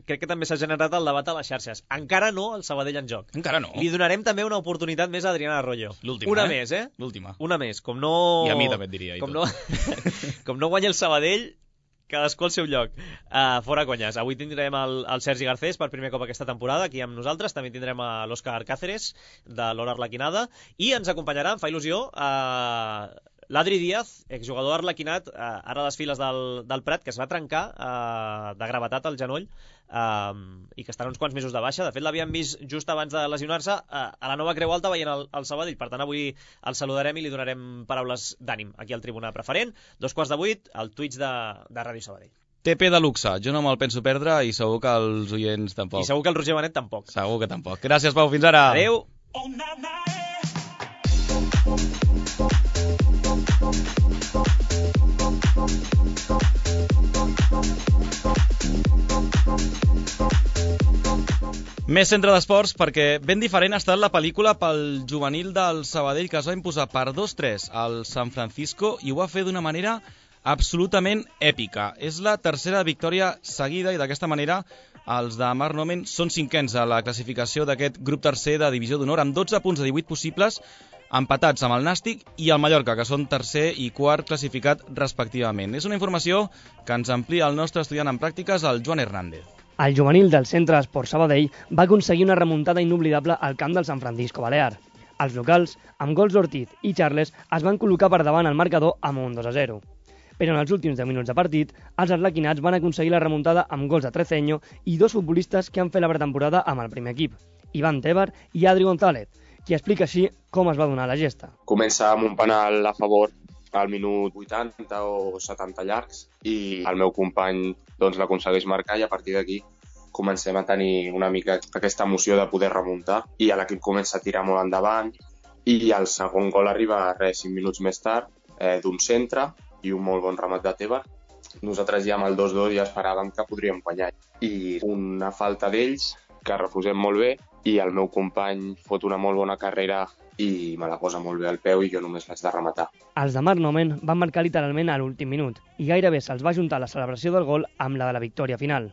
Speaker 3: crec que també s'ha generat el debat a les xarxes. Encara no el Sabadell en joc.
Speaker 2: Encara no.
Speaker 3: Li donarem també una oportunitat més a Adrián Arroyo.
Speaker 2: L'última,
Speaker 3: una més,
Speaker 2: L'última.
Speaker 3: Una més. Com no...
Speaker 2: I a mi també et diria.
Speaker 3: Com no guanya el Sabadell, cadascú al seu lloc. Fora conyes. Avui tindrem el Sergi Garcés per primer cop aquesta temporada aquí amb nosaltres. També tindrem l'Òscar Cáceres de l'Hora Arlequinada i ens acompanyarà, em fa il·lusió, l'Adri Díaz, exjugador arlequinat, ara a les files del Prat, que es va trencar de gravetat al genoll i que estarà uns quants mesos de baixa. De fet, l'havíem vist just abans de lesionar-se a la nova Creu Alta veient el Sabadell. Per tant, avui el saludarem i li donarem paraules d'ànim aquí al Tribuna Preferent. 2:15, al Twitch de Ràdio Sabadell.
Speaker 2: TP de luxe, jo no me'l penso perdre i segur que els oients tampoc.
Speaker 3: I segur que el Roger Benet tampoc.
Speaker 2: Segur que tampoc. Gràcies, Pau, fins ara.
Speaker 3: Adéu.
Speaker 2: Més centre d'esports perquè ben diferent ha estat la pel·lícula pel juvenil del Sabadell que es va imposar per 2-3 al San Francisco i ho va fer d'una manera absolutament èpica. És la tercera victòria seguida i d'aquesta manera els de Marc Nomen són 5ens a la classificació d'aquest grup tercer de divisió d'honor amb 12 punts de 18 possibles, empatats amb el Nàstic i el Mallorca, que són tercer i quart classificat respectivament. És una informació que ens amplia el nostre estudiant en pràctiques, el Joan Hernández.
Speaker 8: El juvenil del Centre d'Esport Sabadell va aconseguir una remuntada inoblidable al camp del San Francisco Balear. Els locals, amb gols d'Ortiz i Charles, es van col·locar per davant al marcador amb un 2-0. Però en els últims 10 minuts de partit, els arlequinats van aconseguir la remuntada amb gols de Treceño i 2 futbolistes que han fet la pretemporada amb el primer equip, Iván Tebar i Adri González, qui explica així com es va donar la gesta.
Speaker 9: Comença amb un penal a favor al minut 80 o 70 llargs i el meu company l'aconsegueix marcar i a partir d'aquí comencem a tenir una mica aquesta emoció de poder remuntar i l'equip comença a tirar molt endavant i el segon gol arriba 5 minuts més tard d'un centre i un molt bon remat de Tebar. Nosaltres ja amb el 2-2 ja esperàvem que podríem guanyar i una falta d'ells que refusem molt bé i el meu company fot una molt bona carrera i me la posa molt bé al peu i jo només l'haig de rematar.
Speaker 8: Els de Marc Nomen van marcar literalment a l'últim minut i gairebé se'ls va ajuntar la celebració del gol amb la de la victòria final.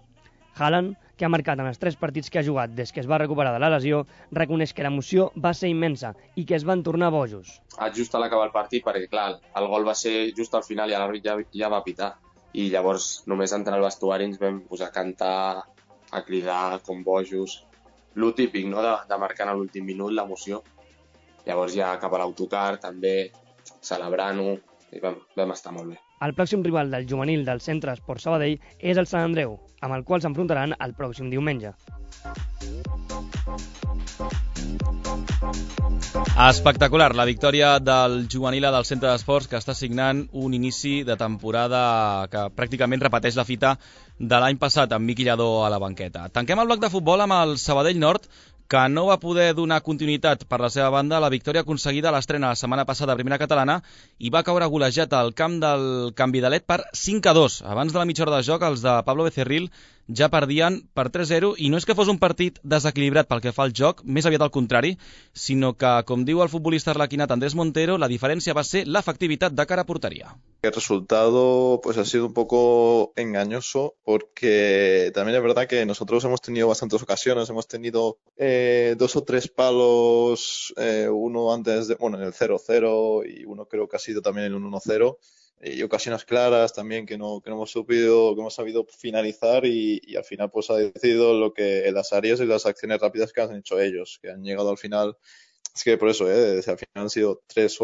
Speaker 8: Haaland, que ha marcat en els 3 partits que ha jugat des que es va recuperar de la lesió, reconeix que l'emoció va ser immensa i que es van tornar bojos.
Speaker 9: Just a l'acabar el partit, perquè clar, el gol va ser just al final i l'àrbitre ja va pitar. I llavors només entrar al vestuari ens vam posar a cantar, a cridar com bojos. Lo típic, no?, de marcar a l'últim minut, l'emoció. Llavors ja cap a l'autocar també, celebrant-ho, i vam estar molt bé.
Speaker 8: El pròxim rival del juvenil del Centre Esport Sabadell és el Sant Andreu, amb el qual s'enfrontaran el pròxim diumenge.
Speaker 2: Espectacular, la victòria del juvenil del Centre d'Esports que està signant un inici de temporada que pràcticament repeteix la fita de l'any passat amb Miqui Lladó a la banqueta. Tanquem el bloc de futbol amb el Sabadell Nord, que no va poder donar continuïtat per la seva banda a la victòria aconseguida a l'estrena la setmana passada a Primera Catalana i va caure golejat al camp del Can Vidalet per 5-2. Abans de la mitja hora de joc, els de Pablo Becerril ja perdien per 3-0 i no és que fos un partit desequilibrat pel que fa al joc, més aviat al contrari, sinó que, com diu el futbolista arlequinat Andrés Montero, la diferència va ser l'efectivitat de cara a porteria.
Speaker 10: El resultado ha sido un poco engañoso porque también es verdad que nosotros hemos tenido bastantes ocasiones, hemos tenido 2 o 3 palos, uno antes en el 0-0 y uno creo que ha sido también en el 1-0 y ocasiones claras también que no hemos sabido finalizar y al final pues ha decidido lo que las áreas y las acciones rápidas que han hecho ellos, que han llegado al final. Es que por eso, al final han sido tres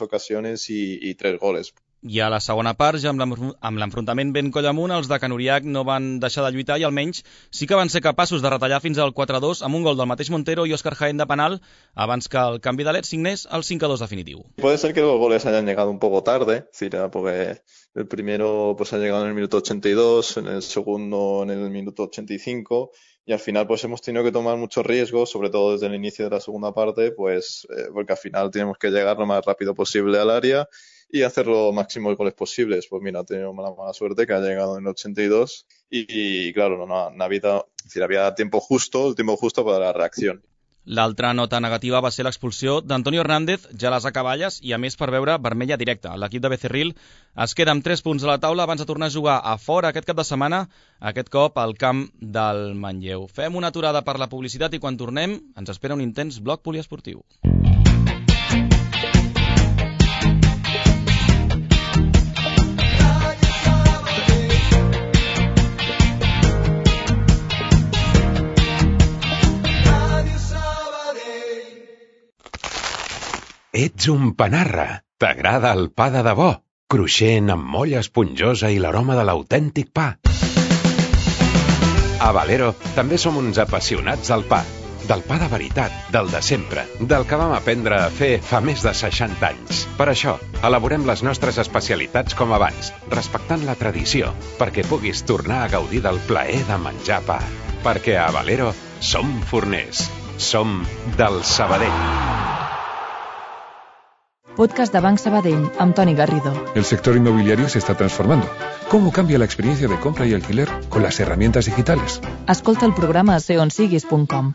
Speaker 10: ocasiones y 3 goles.
Speaker 2: I a la segona part, ja amb l'enfrontament ben coll amunt, els de Can Uriach no van deixar de lluitar i almenys sí que van ser capaços de retallar fins al 4-2 amb un gol del mateix Montero i Óscar Jaén de penal abans que el canvi d'Alet signés el 5-2 definitiu.
Speaker 10: Puede ser que los goles hayan llegado un poco tarde, porque el primero pues ha llegado en el minuto 82, en el segundo en el minuto 85 y al final pues hemos tenido que tomar muchos riesgos, sobre todo desde el inicio de la segunda parte, pues porque al final tenemos que llegar lo más rápido posible al área y hacer lo máximo de goles posibles. Pues mira, ha tenido mala suerte que ha llegado en el 82 y claro, había el tiempo justo para la reacción.
Speaker 2: L'altra nota negativa va ser l'expulsió d'Antonio Hernández, ja a les acaballes, i a més per veure vermella directa. L'equip de Becerril es queda amb 3 punts a la taula abans de tornar a jugar a fora aquest cap de setmana, aquest cop al camp del Manlleu. Fem una aturada per la publicitat i quan tornem ens espera un intens bloc poliesportiu.
Speaker 11: Ets un panarra. T'agrada el pa de debò, cruixent amb molla esponjosa i l'aroma de l'autèntic pa. A Valero també som uns apassionats del pa. Del pa de veritat, del de sempre, del que vam aprendre a fer fa més de 60 anys. Per això, elaborem les nostres especialitats com abans, respectant la tradició, perquè puguis tornar a gaudir del plaer de menjar pa. Perquè a Valero som forners. Som del Sabadell.
Speaker 12: Podcast de Banc Sabadell, amb Toni Garrido.
Speaker 13: El sector inmobiliario se está transformando. ¿Cómo cambia la experiencia de compra y alquiler con las herramientas digitales?
Speaker 12: Escolta el programa a seonsiguis.com.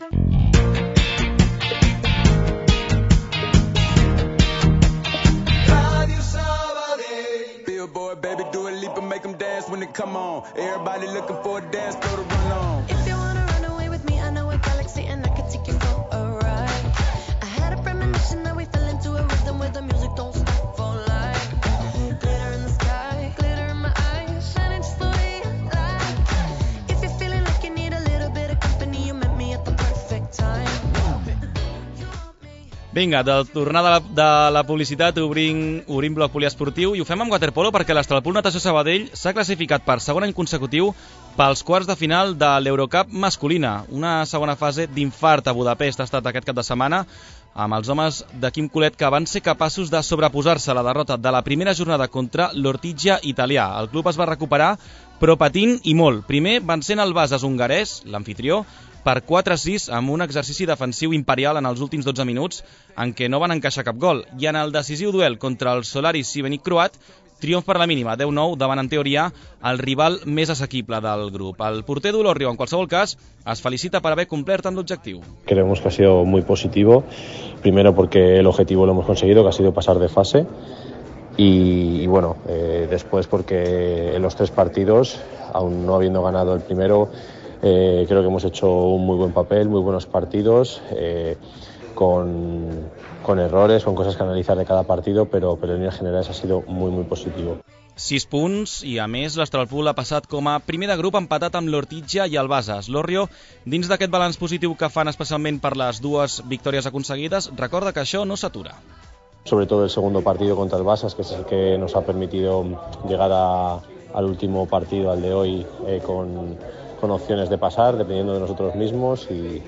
Speaker 2: Vinga, de tornar de la publicitat obrim bloc poliesportiu i ho fem amb waterpolo perquè l'Estralpool Natació Sabadell s'ha classificat per segon any consecutiu pels quarts de final de l'Eurocup masculina. Una segona fase d'infart a Budapest ha estat aquest cap de setmana amb els homes de Quim Colet que van ser capaços de sobreposar-se a la derrota de la primera jornada contra l'Ortigia italià. El club es va recuperar però patint i molt. Primer van ser el Bases hongarès, l'anfitrió, per 4-6 amb un exercici defensiu imperial en els últims 12 minuts en què no van encaixar cap gol. I en el decisiu duel contra el Solaris Šibenik croat, triomf per la mínima, 10-9, davant en teoria el rival més assequible del grup. El porter d'Olorrio, en qualsevol cas, es felicita per haver complert amb l'objectiu.
Speaker 14: Creemos que ha sido muy positivo, primero porque el objetivo lo hemos conseguido, que ha sido pasar de fase, y bueno, después porque en los 3 partidos, aún no habiendo ganado el primero, creo que hemos hecho un muy buen papel, muy buenos partidos, con errores, con cosas que analizar de cada partido, pero en líneas generales ha sido muy, muy positivo.
Speaker 2: 6 punts i, a més, l'Estralpool ha passat com a primer de grup empatat amb l'Ortigia i el Bases. L'Orrio, dins d'aquest balanç positiu que fan especialment per les 2 victòries aconseguides, recorda que això no s'atura.
Speaker 14: Sobre todo el segundo partido contra el Bases, que es el que nos ha permitido llegar al último partido, al de hoy, con opciones de pasar, dependiendo de nosotros mismos y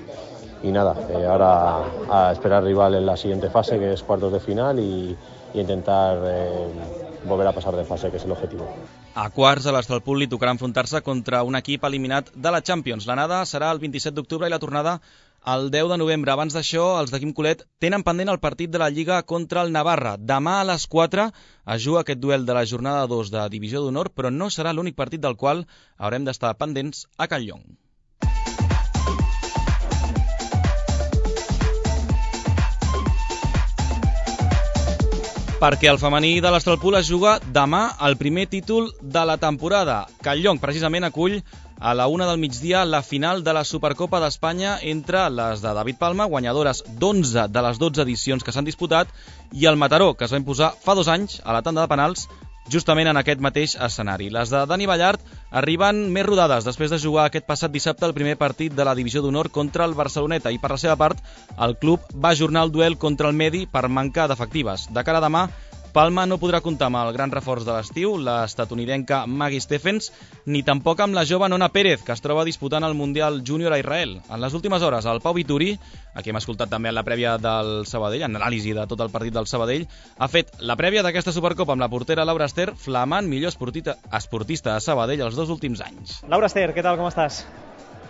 Speaker 14: nada, ahora a esperar rival en la siguiente fase, que es cuartos de final, y intentar volver a pasar de fase, que es el objetivo.
Speaker 2: A quarts, a l'Estralpool li tocarà enfrontar-se contra un equip eliminat de la Champions. L'anada serà el 27 d'octubre i la tornada el 10 de novembre. Abans d'això, els de Quim Colet tenen pendent el partit de la Lliga contra el Navarra. Demà a les 4 es juga aquest duel de la jornada 2 de Divisió d'Honor, però no serà l'únic partit del qual haurem d'estar pendents a Can Llong. Perquè el femení de l'Estralpool es juga demà el primer títol de la temporada. Can Llong, precisament, acull a la 1 del migdia la final de la Supercopa d'Espanya entre les de David Palma, guanyadores d'11 de les 12 edicions que s'han disputat, i el Mataró, que es va imposar fa 2 anys a la tanda de penals justament en aquest mateix escenari. Les de Dani Ballart arriben més rodades després de jugar aquest passat dissabte el primer partit de la Divisió d'Honor contra el Barceloneta i per la seva part el club va ajornar el duel contra el Medi per manca d'efectives. De cara a demà, Palma no podrà comptar amb el gran reforç de l'estiu, l'estatunidenca Maggie Stephens, ni tampoc amb la jove Nona Pérez, que es troba disputant el Mundial Júnior a Israel. En les últimes hores, el Pau Vituri, a qui hem escoltat també en la prèvia del Sabadell, en l'anàlisi de tot el partit del Sabadell, ha fet la prèvia d'aquesta Supercopa amb la portera Laura Ester, flamant millor esportista a Sabadell els 2 últims anys.
Speaker 3: Laura Ester, què tal, com estàs?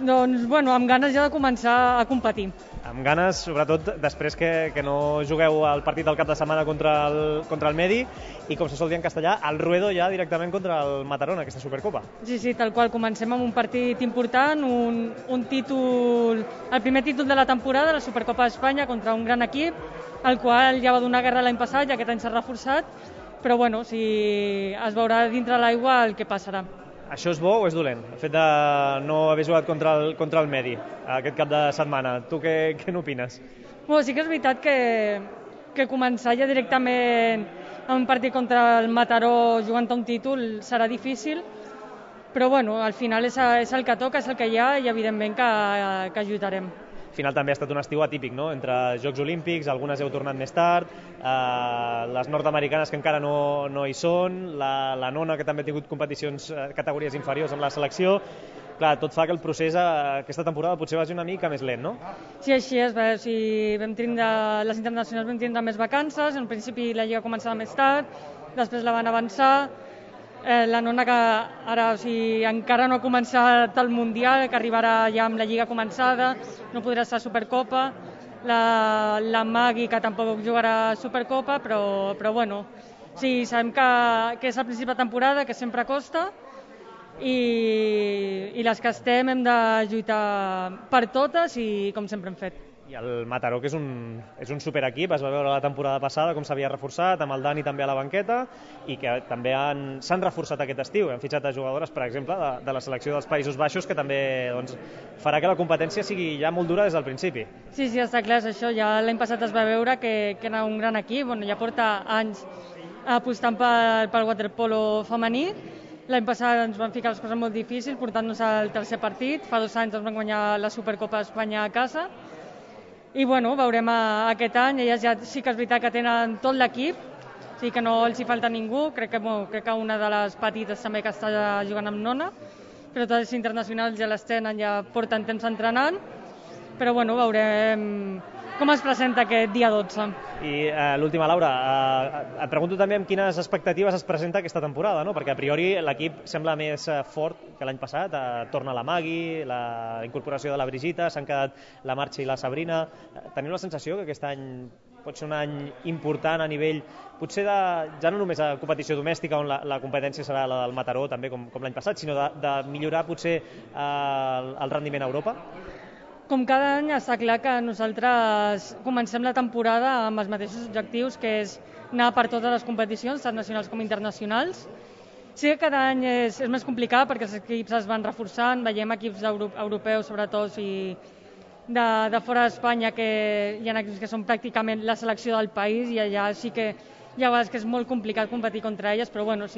Speaker 15: Doncs, bueno, amb ganes ja de començar a competir.
Speaker 3: Amb ganes, sobretot després que no jugueu el partit del cap de setmana contra el Medi i, com se sol dir en castellà, el Ruedo ja directament contra el Mataró en aquesta Supercopa.
Speaker 15: Sí, tal qual. Comencem amb un partit important, un títol, el primer títol de la temporada, la Supercopa d'Espanya contra un gran equip, el qual ja va donar guerra l'any passat i aquest any s'ha reforçat, però bueno, es veurà dintre l'aigua el que passarà.
Speaker 3: Això és bo o és dolent, el fet de no haver jugat contra el Medi aquest cap de setmana? Tu què n'opines?
Speaker 15: Bueno, sí que és veritat que començar ja directament en un partit contra el Mataró jugant a un títol serà difícil, però bueno, al final és el que toca, és el que hi ha i evidentment que lluitarem.
Speaker 3: Al final també ha estat un estiu atípic, no? Entre Jocs Olímpics, algunes heu tornat més tard, les nord-americanes que encara no hi són, la Nona que també ha tingut competicions categories inferiors amb la selecció. Clar, tot fa que el procés aquesta temporada potser vagi una mica més lent, no?
Speaker 15: Sí, així és. Les internacionals vam tindre més vacances, en principi la Lliga començava més tard, després la van avançar. La Nona que ara encara no ha començat el Mundial, que arribarà ja amb la Lliga començada, no podrà estar a Supercopa. La Magui, que tampoc jugarà a Supercopa, però bueno, sí, sabem que és el principi de temporada, que sempre costa, i les que estem hem de lluitar per totes i com sempre hem fet.
Speaker 3: I el Mataró, que és un superequip, es va veure la temporada passada com s'havia reforçat, amb el Dani també a la banqueta, i que també s'han reforçat aquest estiu. Han fitxat a jugadores, per exemple, de la selecció dels Països Baixos, que també farà que la competència sigui ja molt dura des del principi.
Speaker 15: Sí, està clar, és això. Ja l'any passat es va veure que era un gran equip, ja porta anys apostant pel waterpolo femení. L'any passat ens van ficar les coses molt difícils, portant-nos al tercer partit. Fa 2 anys ens van guanyar la Supercopa d'Espanya a casa. I bueno, veurem aquest any, elles ja sí que és veritat que tenen tot l'equip, sí que no els hi falta ningú, crec que una de les petites també que està jugant amb Nona, però totes les internacionals ja les tenen, ja porten temps entrenant, però bueno, veurem com es presenta aquest dia 12.
Speaker 3: I l'última, Laura, et pregunto també amb quines expectatives es presenta aquesta temporada, no? Perquè a priori l'equip sembla més fort que l'any passat, torna la Magui, la incorporació de la Brigitta, s'han quedat la Marxa i la Sabrina. Tenim la sensació que aquest any pot ser un any important a nivell, potser ja no només a competició domèstica, on la competència serà la del Mataró, també com l'any passat, sinó de millorar potser el rendiment a Europa?
Speaker 15: Com cada any està clar que nosaltres comencem la temporada amb els mateixos objectius, que és anar per totes les competicions, tant nacionals com internacionals. Sí que cada any és més complicat perquè els equips es van reforçant, veiem equips europeus sobretot i de fora d'Espanya que hi ha equips que són pràcticament la selecció del país i allà sí que hi ha vegades que és molt complicat competir contra elles, però bueno,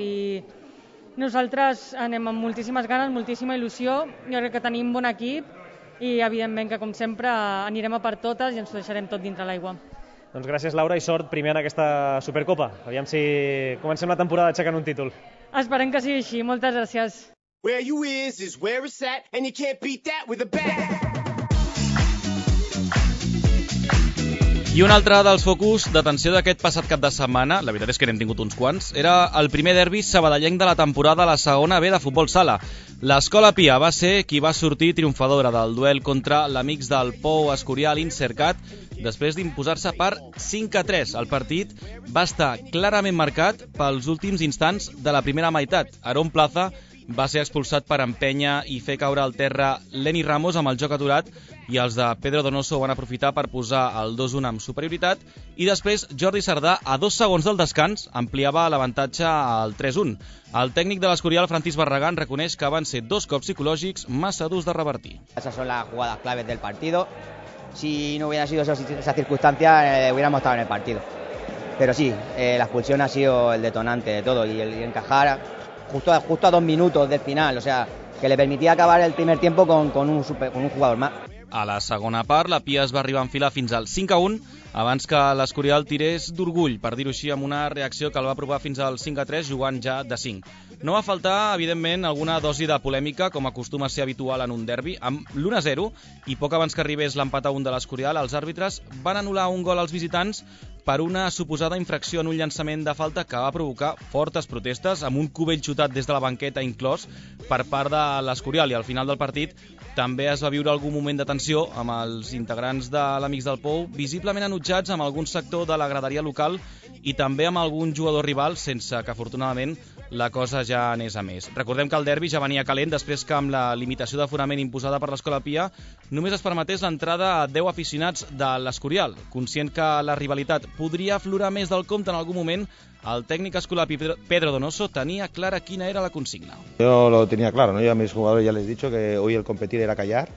Speaker 15: nosaltres anem amb moltíssimes ganes, moltíssima il·lusió, jo crec que tenim un bon equip i evidentment que com sempre anirem a per totes i ens ho deixarem tot dintre l'aigua.
Speaker 3: Doncs gràcies, Laura, i sort primer en aquesta Supercopa. Aviam si comencem la temporada aixecant un títol.
Speaker 15: Esperem que sigui així. Moltes gràcies.
Speaker 16: Where you is where it's at, and you can't beat that with a bat.
Speaker 2: I un altre dels focus d'atenció d'aquest passat cap de setmana, la veritat és que n'hem tingut uns quants, era el primer derbi sabadellenc de la temporada a la segona B de futbol sala. L'Escola Pia va ser qui va sortir triomfadora del duel contra l'Amics del Pou Escorial Insercat després d'imposar-se per 5-3. El partit va estar clarament marcat pels últims instants de la primera meitat. Aarón Plaza va ser expulsat per empènyer i fer caure al terra Lenny Ramos amb el joc aturat i els de Pedro Donoso van aprofitar per posar el 2-1 amb superioritat i després Jordi Sardà a 2 segons del descans ampliava l'avantatge al 3-1. El tècnic de l'Escorial, Francis Barragán, reconeix que van ser 2 cops psicològics massa durs de revertir.
Speaker 17: Esas son las jugadas claves del partido. Si no hubiera sido esa circunstancia, hubiéramos estado en el partido. Pero sí, la expulsión ha sido el detonante de todo y el encajar justo a 2 minutos del final, o sea, que le permitía acabar el primer tiempo con un jugador más.
Speaker 2: A la segona part, la Pia es va arribar a enfilar fins al 5-1, abans que l'Escorial tirés d'orgull, per dir-ho així, amb una reacció que el va provar fins al 5-3, jugant ja de 5. No va faltar, evidentment, alguna dosi de polèmica, com acostuma a ser habitual en un derbi. Amb l'1-0, i poc abans que arribés l'empat a 1 de l'Escorial, els àrbitres van anul·lar un gol als visitants per una suposada infracció en un llançament de falta que va provocar fortes protestes, amb un cubell xutat des de la banqueta inclòs per part de l'Escorial, i al final del partit també es va viure algun moment de tensió amb els integrants de l'Amics del Pou, visiblement enutjats amb algun sector de la graderia local i també amb algun jugador rival, sense que afortunadament la cosa ja anés a més. Recordem que el derbi ja venia calent després que amb la limitació d'aforament imposada per l'Escola Pia només es permetés l'entrada a 10 aficionats de l'Escorial. Conscient que la rivalitat podria aflorar més del compte en algun moment, el técnico escolapi Pedro Donoso tenía clara quién era la consigna.
Speaker 18: Yo lo tenía claro, ¿no? Yo a mis jugadores ya les he dicho que hoy el competir era callar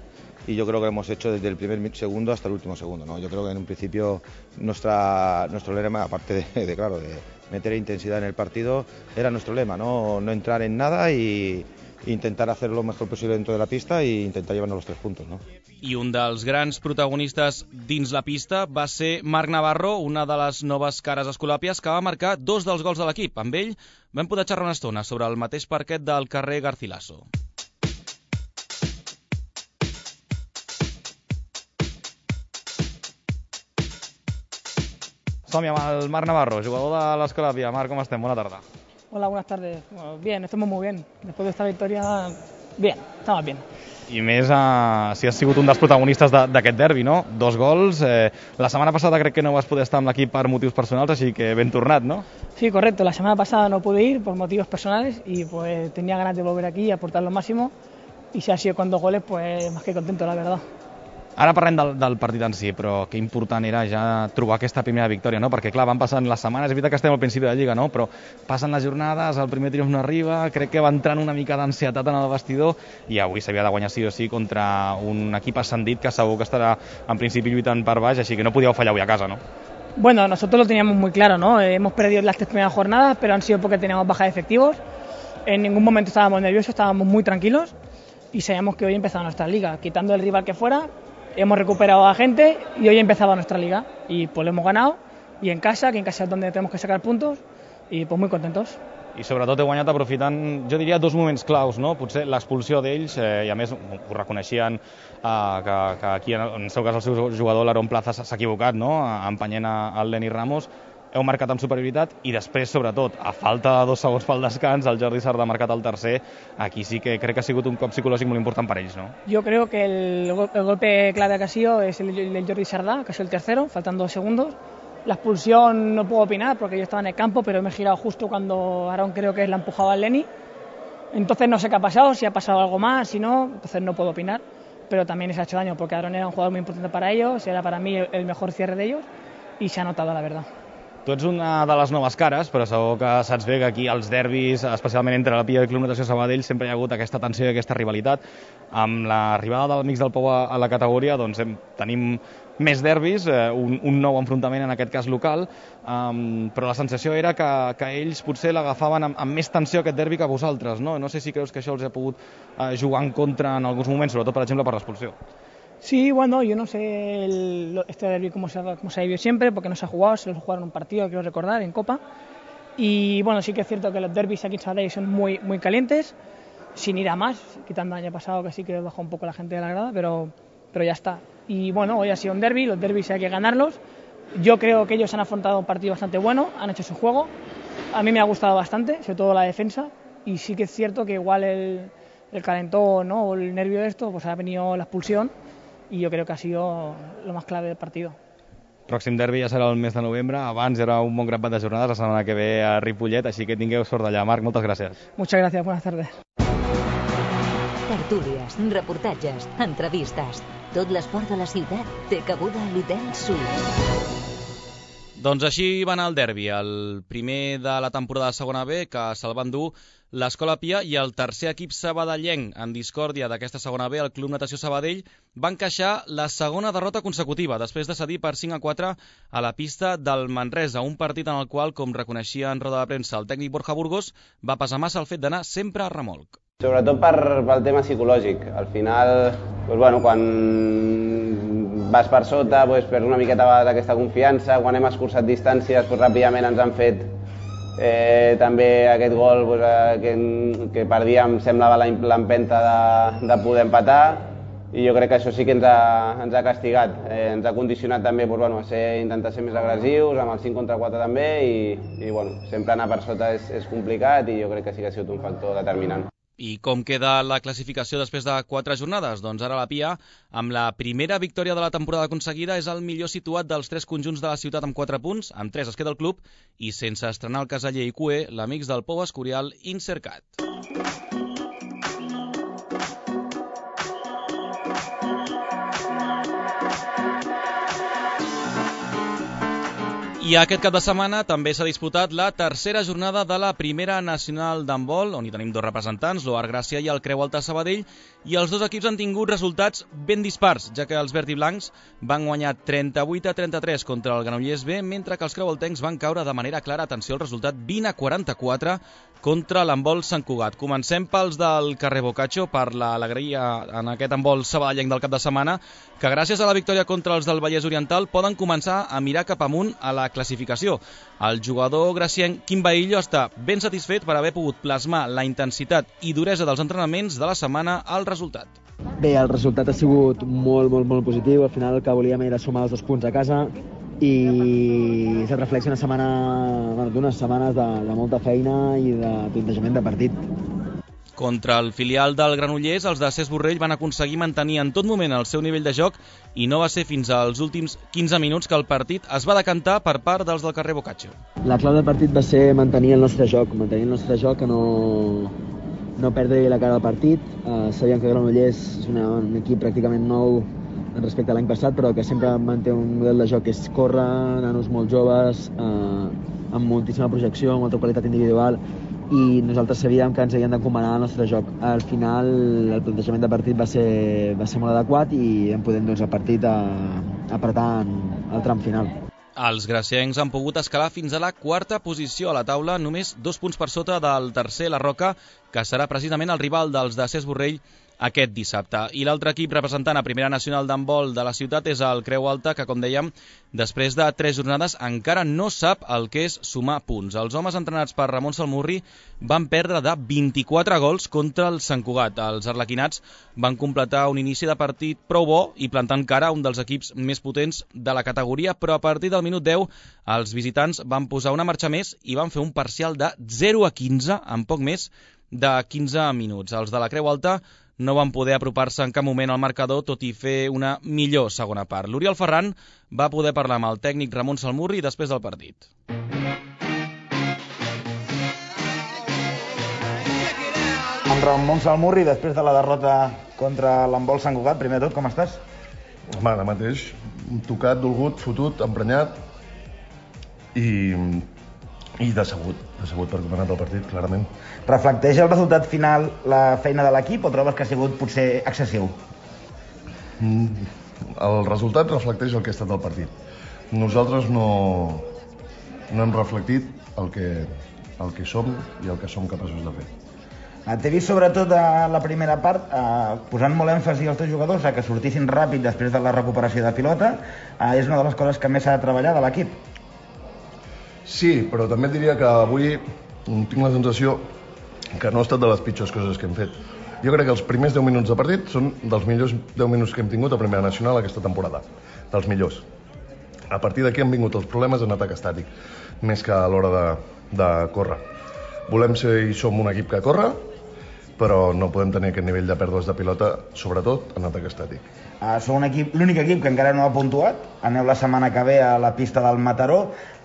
Speaker 18: y yo creo que hemos hecho desde el primer segundo hasta el último segundo, ¿no? Yo creo que en un principio nuestro lema, aparte de meter intensidad en el partido, era nuestro lema, no entrar en nada y intentar hacer lo mejor posible dentro de la pista e intentar llevarnos los 3 puntos, ¿no?
Speaker 2: I un dels grans protagonistes dins la pista va ser Marc Navarro, una de les noves cares escolàpies, que va marcar 2 dels gols de l'equip. Amb ell vam poder xerrar una estona sobre el mateix parquet del carrer Garcilaso. Som-hi amb el Marc Navarro, jugador de l'Escolàpia. Marc, com estem? Bona tarda.
Speaker 19: Hola, buenas tardes. Bueno, bien, estamos muy bien. Después de esta victoria, bien, estamos bien.
Speaker 2: I més si has sigut un dels protagonistes d'aquest derbi, no? 2 gols. La setmana passada crec que no vas poder estar amb l'equip per motius personals, així que ben tornat, ¿no?
Speaker 19: Sí, correcto. La semana pasada no pude ir por motivos personales y pues tenía ganas de volver aquí y aportar lo máximo. Y si ha sido con 2 goles, pues más que contento, la verdad.
Speaker 2: Ara parlem del partit en si, però que important era ja trobar aquesta primera victòria, no? Perquè, clar, van passant les setmanes, és veritat que estem al principi de la Lliga, no? Però passen les jornades, el primer triomf no arriba, crec que va entrant una mica d'ansietat en el vestidor i avui s'havia de guanyar sí o sí contra un equip ascendit que segur que estarà en principi lluitant per baix, així que no podíeu fallar avui a casa, no?
Speaker 19: Bueno, nosotros lo teníamos muy claro, ¿no? Hemos perdido las 3 primeras jornadas, pero han sido porque teníamos baja de efectivos. En ningún momento estábamos nerviosos, estábamos muy tranquilos y sabíamos que hoy empezaba nuestra liga, quitando el rival que fuera. Hemos recuperado a gente y hoy empezaba nuestra liga y pues lo hemos ganado y en casa, que en casa es donde tenemos que sacar puntos y pues muy contentos.
Speaker 2: I sobretot he guanyat aprofitant, jo diria, 2 moments claus, no? Potser l'expulsió d'ells, i a més ho reconeixien que aquí, en el seu cas, el seu jugador, l'Aaron Plaza, s'ha equivocat, no? Empenyent el Lenny Ramos. Heu marcat amb superioritat i després, sobretot, a falta de 2 segons pel descans, el Jordi Sardà ha marcat el tercer. Aquí sí que crec que ha sigut un cop psicològic molt important per ells, ¿no?
Speaker 19: Yo creo que el golpe clave que ha sido es el de Jordi Sardà, que ha sido el tercero, faltando 2 segundos. La expulsión no puedo opinar porque yo estaba en el campo, pero me he girado justo cuando Aaron creo que la empujaba al Lenny. Entonces no sé qué ha pasado, si ha pasado algo más, si no, entonces no puedo opinar. Pero también les ha hecho daño porque Aaron era un jugador muy importante para ellos, era para mí el mejor cierre de ellos y se ha notado, la verdad.
Speaker 2: Tu ets una de les noves cares, però segur que saps bé que aquí als derbis, especialment entre la Pia i el Club Natació Sabadell, sempre hi ha hagut aquesta tensió i aquesta rivalitat. Amb l'arribada dels Amics del Pou a la categoria, doncs tenim més derbis, un nou enfrontament en aquest cas local, però la sensació era que ells potser l'agafaven amb més tensió aquest derbi que vosaltres, no? No sé si creus que això els ha pogut jugar en contra en alguns moments, sobretot, per exemple, per l'expulsió.
Speaker 19: Sí, bueno, yo no sé este derbi cómo se ha vivido siempre, porque no se ha jugado, se lo jugaron en un partido, quiero recordar, en Copa. Y bueno, sí que es cierto que los derbis aquí en Sabadell son muy calientes, sin ir a más, quitando el año pasado que sí que bajó un poco la gente de la grada, pero ya está. Y bueno, hoy ha sido un derbi, los derbis hay que ganarlos. Yo creo que ellos han afrontado un partido bastante bueno, han hecho su juego. A mí me ha gustado bastante, sobre todo la defensa, y sí que es cierto que igual el calentón, ¿no? O el nervio de esto, pues ha venido la expulsión. I jo crec que ha sido lo más clave del partido.
Speaker 2: Pròxim derbi ja serà el mes de novembre, abans era un bon grapat de jornades, la setmana que ve a Ripollet, així que tingueu sort d'allà. Marc, moltes gràcies.
Speaker 19: Muchas gracias, buenas tardes.
Speaker 1: Tertúlies, reportatges, entrevistes. Tot l'esport de la ciutat té cabuda a l'Hotel Suïs.
Speaker 2: Doncs així va anar el derbi, el primer de la temporada de segona B, que se'l van dur l'Escola Pia, i el tercer equip sabadellenc en discòrdia d'aquesta segona B, el Club Natació Sabadell, va encaixar la segona derrota consecutiva, després de cedir per 5-4 a la pista del Manresa, un partit en el qual, com reconeixia en roda de premsa el tècnic Borja Burgos, va pesar massa el fet d'anar sempre a remolc.
Speaker 20: Sobretot pel tema psicològic. Al final, quan vas per sota, perds una miqueta d'aquesta confiança. Quan hem escurçat distàncies, ràpidament ens han fet també aquest gol que perdíem, semblava l'empenta de poder empatar, i jo crec que això sí que ens ha castigat. Ens ha condicionat també a intentar ser més agressius, amb el 5 contra 4 també, i sempre anar per sota és complicat, i jo crec que sí que ha sigut un factor determinant.
Speaker 2: I com queda la classificació després de 4 jornades? Doncs ara la Pia, amb la primera victòria de la temporada aconseguida, és el millor situat dels 3 conjunts de la ciutat amb 4 punts, amb 3 es queda el club, i sense estrenar el Casaller i Cué, l'amics del Pou Escorial Insercat. I aquest cap de setmana també s'ha disputat la tercera jornada de la primera nacional d'handbol, on hi tenim 2 representants, l'Oar Gràcia i el Creu Alta Sabadell, i els 2 equips han tingut resultats ben dispars, ja que els verd i blancs van guanyar 38-33 contra el Granollers B, mentre que els creualtencs van caure de manera clara, atenció al resultat, 20-44 contra l'handbol Sant Cugat. Comencem pels del carrer Boccaccio, per l'alegria en aquest handbol sabadellenc del cap de setmana, que gràcies a la victòria contra els del Vallès Oriental poden començar a mirar cap amunt a la classificació. El jugador gracienc Quim Baillo està ben satisfet per haver pogut plasmar la intensitat i duresa dels entrenaments de la setmana al resultat.
Speaker 21: Bé, el resultat ha sigut molt positiu. Al final el que volíem era sumar els 2 punts a casa, i se't reflexa d'unes setmanes de molta feina i de plantejament de partit.
Speaker 2: Contra el filial del Granollers, els de Cesc Borrell van aconseguir mantenir en tot moment el seu nivell de joc, i no va ser fins als últims 15 minuts que el partit es va decantar per part dels del carrer Boccaccio.
Speaker 21: La clau del partit va ser mantenir el nostre joc, que no perdre la cara del partit. Sabíem que Granollers és un equip pràcticament nou respecte a l'any passat, però que sempre manté un model de joc que és córrer, nanos molt joves, amb moltíssima projecció, amb molta qualitat individual, i nosaltres sabíem que ens havien d'encomanar el nostre joc. Al final el plantejament de partit va ser molt adequat, i hem pogut el partit apretar en el tram final.
Speaker 2: Els graciencs han pogut escalar fins a la 4a posició a la taula, només 2 punts per sota del tercer, la Roca, que serà precisament el rival dels de Cesc Borrell aquest dissabte. I l'altre equip representant a Primera Nacional d'handbol de la ciutat és el Creu Alta, que, com dèiem, després de 3 jornades encara no sap el que és sumar punts. Els homes entrenats per Ramon Salmurri van perdre de 24 gols contra el Sant Cugat. Els arlequinats van completar un inici de partit prou bo i plantant cara a un dels equips més potents de la categoria, però a partir del minut 10 els visitants van posar una marxa més i van fer un parcial de 0-15 en poc més de 15 minuts. Els de la Creu Alta no van poder apropar-se en cap moment al marcador, tot i fer una millor segona part. L'Oriol Ferran va poder parlar amb el tècnic Ramon Salmurri després del partit.
Speaker 22: En Ramon Salmurri, després de la derrota contra l'handbol Sant Cugat, primer de tot, com estàs?
Speaker 23: Home, ara mateix, tocat, dolgut, fotut, emprenyat i decebut per com ha anat el partit, clarament.
Speaker 22: Reflecteix el resultat final la feina de l'equip o trobes que ha sigut potser excessiu?
Speaker 23: El resultat reflecteix el que ha estat el partit. Nosaltres no hem reflectit el que som i el que som capaços de fer.
Speaker 22: T'he vist sobretot a la primera part posant molt èmfasi als teus jugadors a que sortissin ràpid després de la recuperació de pilota. És una de les coses que més s'ha de treballar de l'equip.
Speaker 23: Sí, però també et diria que avui tinc la sensació que no ha estat de les pitjors coses que hem fet. Jo crec que els primers 10 minuts de partit són dels millors 10 minuts que hem tingut a Primera Nacional aquesta temporada. Dels millors. A partir d'aquí han vingut els problemes en atac estàtic, més que a l'hora de córrer. Volem ser i som un equip que corre, però no podem tenir aquest nivell de pèrdues de pilota, sobretot en atac estàtic.
Speaker 22: Sou l'únic equip que encara no ha puntuat. Aneu la setmana que ve a la pista del Mataró.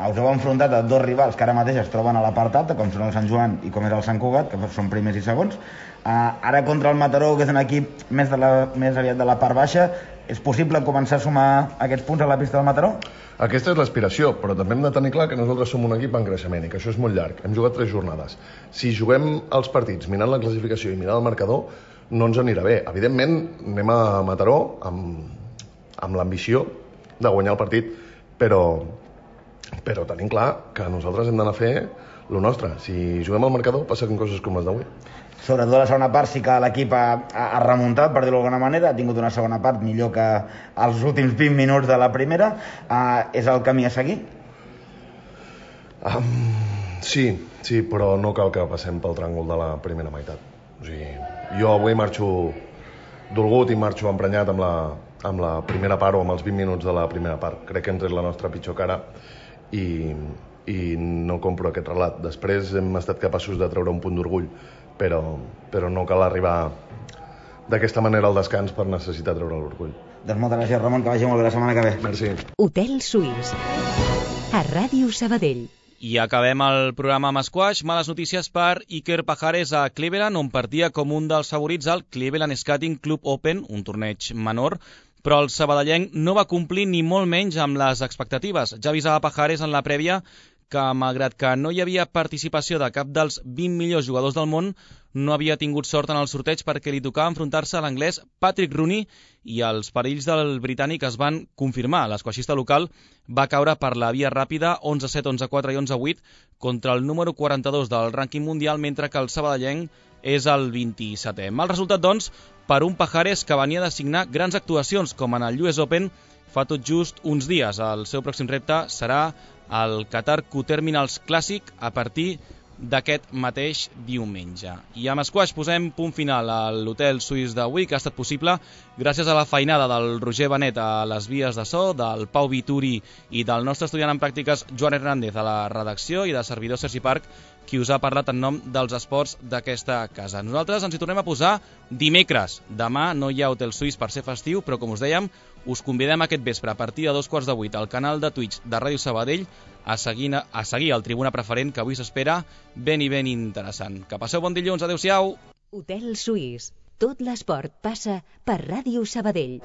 Speaker 22: Us heu enfrontat a 2 rivals que ara mateix es troben a la part alta, com són el Sant Joan i com és el Sant Cugat, que són primers i segons. Ara contra el Mataró, que és un equip més aviat de la part baixa, És possible començar a sumar aquests punts a la pista del Mataró?
Speaker 23: Aquesta és l'aspiració, però també hem de tenir clar que nosaltres som un equip en creixement i que això és molt llarg. Hem jugat 3 jornades. Si juguem els partits mirant la classificació i mirant el marcador, no ens anirà bé. Evidentment, anem a Mataró amb l'ambició de guanyar el partit, però tenim clar que nosaltres hem d'anar a fer el nostre. Si juguem al marcador, passen coses com les d'avui.
Speaker 22: Sobretot a la segona part sí que l'equip ha remuntat, per dir-ho d'alguna manera, ha tingut una segona part millor que els últims 20 minuts de la primera. És el camí a seguir?
Speaker 23: Sí, però no cal que passem pel tràngol de la primera meitat. O sigui, jo avui marxo dolgut i marxo emprenyat amb la primera part o amb els 20 minuts de la primera part. Crec que hem tret la nostra pitjor cara i no compro aquest relat. Després hem estat capaços de treure un punt d'orgull, però no cal arribar d'aquesta manera al descans per necessitar treure l'orgull.
Speaker 22: Doncs moltes gràcies, Ramon, que vagi molt bé la setmana que ve.
Speaker 23: Merci.
Speaker 1: Hotel Suís, a Ràdio Sabadell.
Speaker 2: I acabem el programa amb esquash. Males notícies per Iker Pajares a Cleveland, on partia com un dels favorits al Cleveland Skating Club Open, un torneig menor, però el sabadellenc no va complir ni molt menys amb les expectatives. Ja avisava Pajares en la prèvia que, malgrat que no hi havia participació de cap dels 20 millors jugadors del món, no havia tingut sort en el sorteig perquè li tocava enfrontar-se a l'anglès Patrick Rooney i els perills del britànic es van confirmar. L'esquaixista local va caure per la via ràpida 11-7, 11-4 i 11-8 contra el número 42 del rànquing mundial, mentre que el sabadellenc és el 27è. Mal resultat, doncs, per un Pajares que venia de signar grans actuacions, com en el US Open fa tot just uns dies. El seu pròxim repte serà el Qatar Q-Terminals Clàssic a partir d'aquest mateix diumenge. I amb esquash posem punt final a l'Hotel Suís d'avui, que ha estat possible gràcies a la feinada del Roger Benet a les vies de so, del Pau Vituri i del nostre estudiant en pràctiques Joan Hernández a la redacció i de servidor Sergi Parc, qui us ha parlat en nom dels esports d'aquesta casa. Nosaltres ens hi tornem a posar dimecres. Demà no hi ha Hotel Suís per ser festiu, però com us dèiem, us convidem aquest vespre a partir de 7:15 al canal de Twitch de Ràdio Sabadell a seguir el Tribuna Preferent, que avui s'espera ben i ben interessant. Que passeu bon dilluns, adeu-siau!
Speaker 1: Hotel Suís. Tot l'esport passa per Ràdio Sabadell.